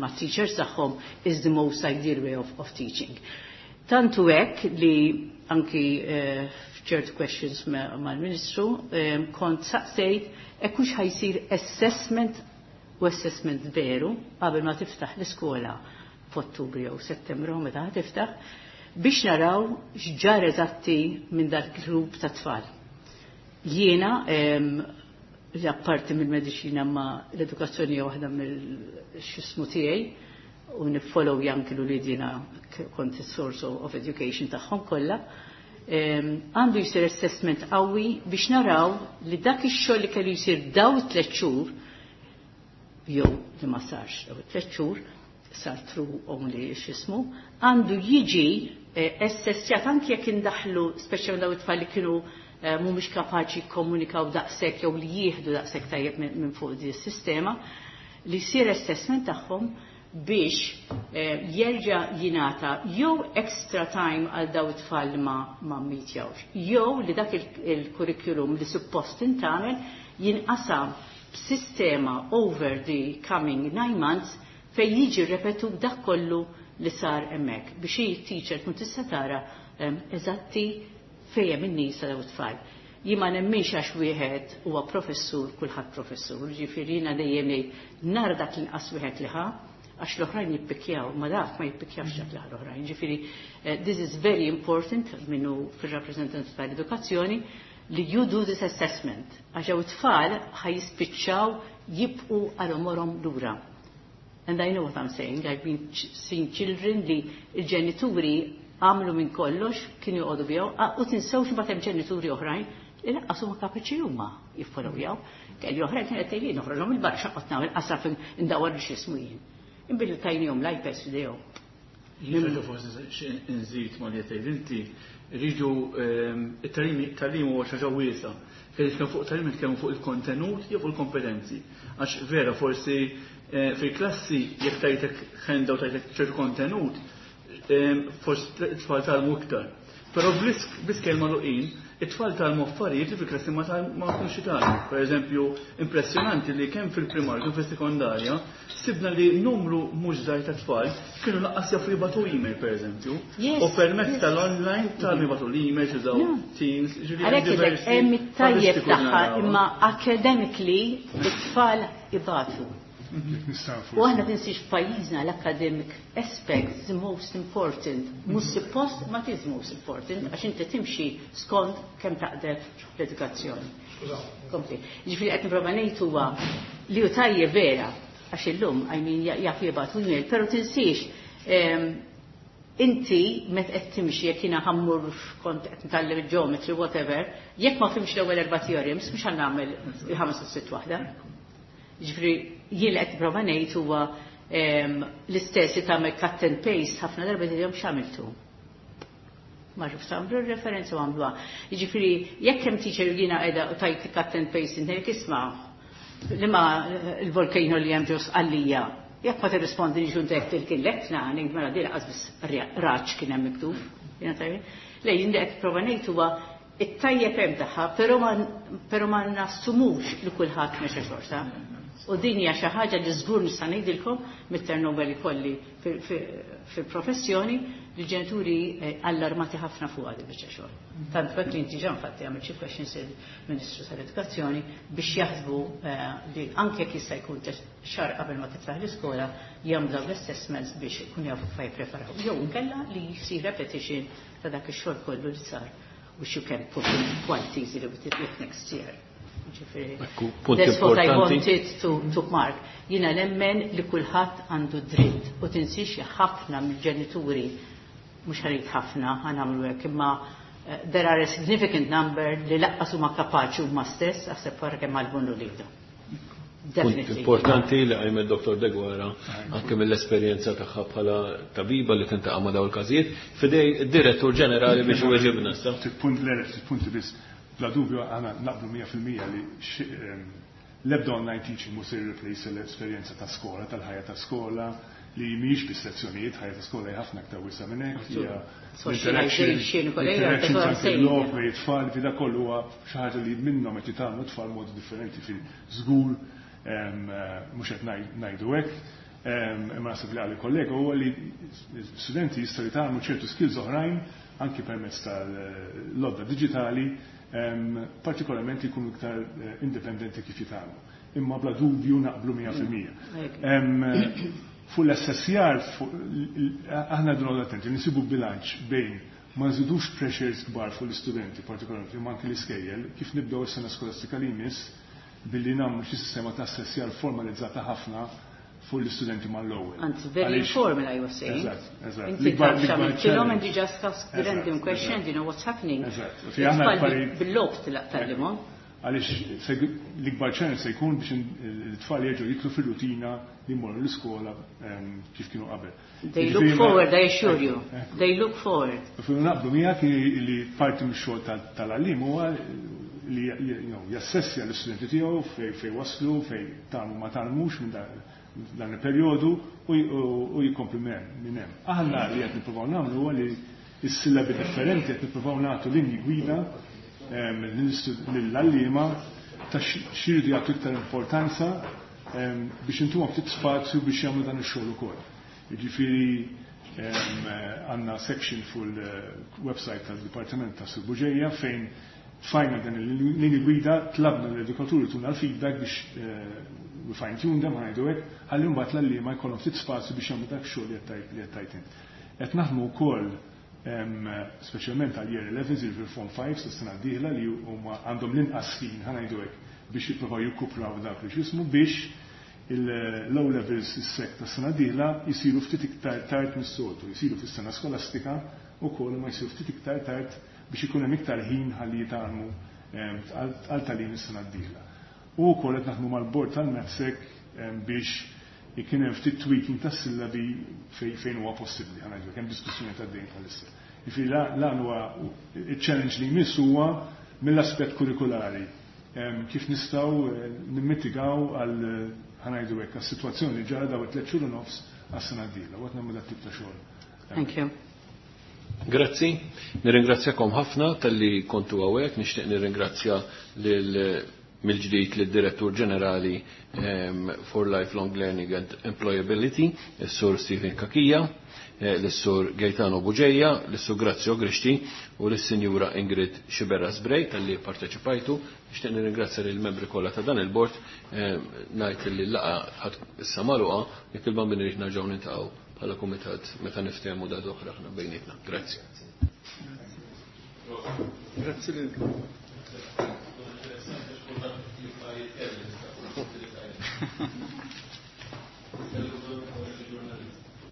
ma teachers tagħhom is the most ideal way of, of teaching. Tantu hekk li anki uh, f'ċertu questions mal-Ministru um, kont saqsejt hekk hux ħa jsir assessment u assessment veru qabel ma tiftaħ l-iskola f'Ottubru jew Settembru, meta tiftaħ, biex naraw x'ġar eżatti minn dak grupp ta' tfal. Jiena li apparti mill-mediċina ma l-edukazzjoni hija waħda mill-xismu tiegħi u niffollow anki l-ulied, kont is-source of education tagħhom kollha. Għandu jsir assessment qawwi biex naraw li dak ix-xogħol li kellu jsir daw tliet xhur jew li ma sarx daw tliet xhur, sar through only x'ismu, għandu jiġi eh, assessjat anki jekk indaħlu speċjalment daw it-tfal li kienu eh, mhumiex kapaċi jikkomunikaw daqshekk jew li jieħdu daqshekk tajjeb minn fuq di s-sistema, li jsir assessment tagħhom biex eh, jerġa' jingħata jew extra time għal daw it-tfal ma ma mmitjawx, jew li dak il-curriculum li suppost intagħmel jinqasam b'sistema over the coming nine months fej jiġi repetu dak kollu li sar hemmhekk biex il-teacher tkun tista' tara eżatti fejn hemm in-nies daw it-tfal. Jien ma nemminx għax wieħed huwa professur, kulħadd professur, ġifieri jiena dejjem ngħid nara dak l-inqas wieħed li ħa, għax l-oħrajn jippikjaw, ma dak ma jippikjawx dak l-oħrajn. Ġifieri, eh, this is very important minnu fil-rappresentanti tal-edukazzjoni li you do this assessment. Għax it-tfal ħa jispiċċaw jibqu għal għomorhom lura. And I know what I'm saying. I've been ch seeing children li il-ġenituri għamlu minn kollox, kienu joqogħdu bihom, u tinsewx imbagħad hemm ġenituri oħrajn li lanqas huma kapaċi huma jiffollowjaw. Kelli oħrajn kienet tgħidli noħroġhom il-barra x'qgħod nagħmel qasaf indawwar biex jismu jien. Imbilli tajnihom l-iPads f'idejhom. Jien forsi nżid ma li tgħid inti rridu it-tagħlim huwa xi ħaġa wiesgħa. Fejn nitkellmu fuq tagħlim nitkellmu fuq il-kontenut jew fuq il-kompetenzi. Għax vera forsi fil-klassi jekk tajtek handout tajtek ċertu kontenut, forsi t-tfal tgħallmu iktar. Però bl-iskejjel magħluqin, it-tfal tgħallmu affarijiet li fil-klassi ma tkunx jitgħallmu. Per eżempju, impressjonanti li kemm fil-primarju kemm fis-sekondarja, sibna li numru mhux żgħir ta' tfal kienu lanqas jafu jibagħtu email per eżempju. U permezz tal-online tgħallmu jibagħtu l-email, jużaw Teams, ġifieri hemm it-tajjeb tagħha imma academically it-tfal ibatu. U aħna tinsiex f'pajjiżna l-academic aspect is the most important. Mhux suppost ma is most important għax inti timxi skont kemm taqdef l-edukazzjoni. Kompli. Ġifieri qed nipprova ngħid huwa li hu tajjeb vera għax illum I mean jaf jibgħatu email, però tinsiex inti met qed timxi jekk jiena ħa mmur kont qed nitgħallem il-geometry whatever, jekk ma fhimx l-ewwel erba' theorems mhux ħa nagħmel il-ħames u sitt waħda. Ġifieri jien li qed nipprova ngħid huwa l-istess li tagħmel cut and paste ħafna darba tgħidilhom x'għamiltu. Ma rrif tagħmlu referenza u għamluha. Jiġifieri jekk hemm teacher jiena qiegħda u tajt cut and paste inti isma' liema il-volcano li hemm ġo Sqallija. Jekk ma tirrispondi li ġun il-kien ngħid mela di lanqas biss raġ kien hemm miktub. Jiena tajjeb. Le jien qed nipprova ngħid huwa it-tajjeb hemm tagħha, però ma nassumux li kulħadd mexa xorta. U din hija xi ħaġa li żgur nista' ngħidilkom mit-turnover li kolli fil-professjoni li ġenituri allarmati ħafna fuq għadi biċċa xogħol. Tant hekk li inti ġan fatti għamil xi questions il-Ministru tal-Edukazzjoni biex jaħsbu li anke jekk jista' jkun xahar qabel ma tiftaħ l-iskola jagħmlu l-assessments biex ikun jafu kif jippreparaw. Jew inkella li jsir repetition ta' dak ix-xogħol kollu li sar which you can put in quite easily with it next year. Punt That's what I importanti. wanted to, to mark. Jiena nemmen li kulħadd għandu dritt u tinsiex li ħafna mill-ġenituri mhux ħarid ħafna ħa nagħmlu hekk imma eh, there are a significant number li lanqas huma kapaċi huma stess aħseb wara kemm għallmu uliedhom. Punt Definitely. importanti li qajmet Dottor Deguara anke mill-esperjenza tagħha bħala tabiba li tintaqa' ma' dawn il-każijiet f'idejn id-direttur ġenerali biex iweġibna issa. Punt le punti biss. Bla dubju għana naqblu mija fil-mija li l-ebda online teaching mhux se replace l-esperjenza ta' skola, tal-ħajja ta' skola, li mhijiex biss lezzjonijiet, ħajja ta' skola hija ħafna aktar wiesgħa minn hekk, hija Socialization, kollega, interaction that's what I'm anke saying. l-logħob bejn it-tfal, fi da kollu huwa xi ħaġa li minnhom qed jitgħallmu tfal modi differenti fi żgur mhux qed ngħidu hekk. Imma naħseb li għal kollega huwa li studenti jistgħu jitgħallmu ċertu skills oħrajn anki permezz tal-lodda digitali, partikolarment jkunu iktar indipendenti kif jitgħallmu. Imma bla dubju naqblu mija fil-mija. Fuq l-assessjar, aħna dnu attenti, nisibu bilanċ bejn ma nżidux pressures kbar fuq l-istudenti, partikolarment imma anki l-iskejjel, kif nibdew is-sena skolastika li jmiss billi nagħmlu xi sistema ta' assessjar formalizzata ħafna fuq l-istudenti mal-ewwel. Anzi, very informal, I was saying. Eżatt, eżatt. Inti taf x'għamiltilhom and you just ask the random question, you know what's happening. Eżatt. Fi aħna It-tfal bil-logħob tgħallimhom. Għaliex l-ikbar challenge se jkun biex it-tfal jerġgħu jidħlu fir-rutina li jmorru l-iskola kif kienu qabel. They look forward, I assure you. They look forward. Fu naqblu miegħek li parti mix-xogħol tal-għalliem huwa li jassessja l-istudenti tiegħu fej fej waslu, fej tgħallmu ma tgħallmux minn dan il-perjodu u jikompli minn hemm. Aħna li qed nippruvaw nagħmlu huwa li s-sillabi differenti qed nippruvaw nagħtu linji gwida lill-għalliema ta' x'iridu jagħtu iktar importanza biex intuhom ftit spazju biex jagħmlu dan ix-xogħol ukoll. Jiġifieri għandna section fuq il-website tal-Dipartiment ta' Sur Bugeja fejn tfajna dan il-linji gwida, tlabna l-edukaturi tuna l-feedback biex we fine tune them, ngħidu hekk, ħalli mbagħad l-għalliema jkollhom ftit spazju biex jagħmlu dak xogħol li qed tgħid int. Qed naħdmu wkoll speċjalment għal year eleven, jiġifieri form five sa sena d-dieħla li huma għandhom l-inqas ħin, ħa ngħidu hekk, biex jippruvaw jikkupraw dak li x'ismu biex il-low levels is-sek ta' sena dieħla jisiru ftit iktar tard mis-soltu, jisiru fis-sena skolastika wkoll ma jisiru ftit iktar tard biex ikun hemm iktar ħin ħalli jitgħallmu għal tagħlim is-sena d-dieħla. U wkoll qed naħdmu mal-bord tal-MATSEC biex ikun hemm ftit tweaking tas-sillabi fejn huwa possibbli, ħa ngħidu hemm diskussjoni ta' dejn bħalissa. Jiġifieri lan huwa iċ-challenge li jmiss huwa mill-aspett kurrikulari kif nistgħu nimmitigaw għal ħa ngħidu hekk għas-sitwazzjoni li ġara daw it-tliet xhur u nofs għas-sena d-dieħla. U qed nagħmlu dat tip ta' xogħol. Thank you. Grazzi, nirringrazzjakom ħafna talli kontu hawnhekk, nixtieq nirringrazzja lil mill-ġdid lid-Direttur Ġenerali um, for Lifelong Learning and Employability, is-Sur Stephen Cachia, eh, l-Sur Gaetano Bugeja, l-Sur Grazio Grixti u l-Sinjura Ingrid Sciberras Bray talli parteċipajtu. Nixtieq nirringrazzja lill-membri kollha ta' dan il-bord, eh, ngħid li l-laqgħa issa magħluqa, jekk il-bambini rrid nerġgħu niltaqgħu bħala kumitat meta niftehmu da oħra aħna bejnietna. Grazzi. Grazzi lilkom.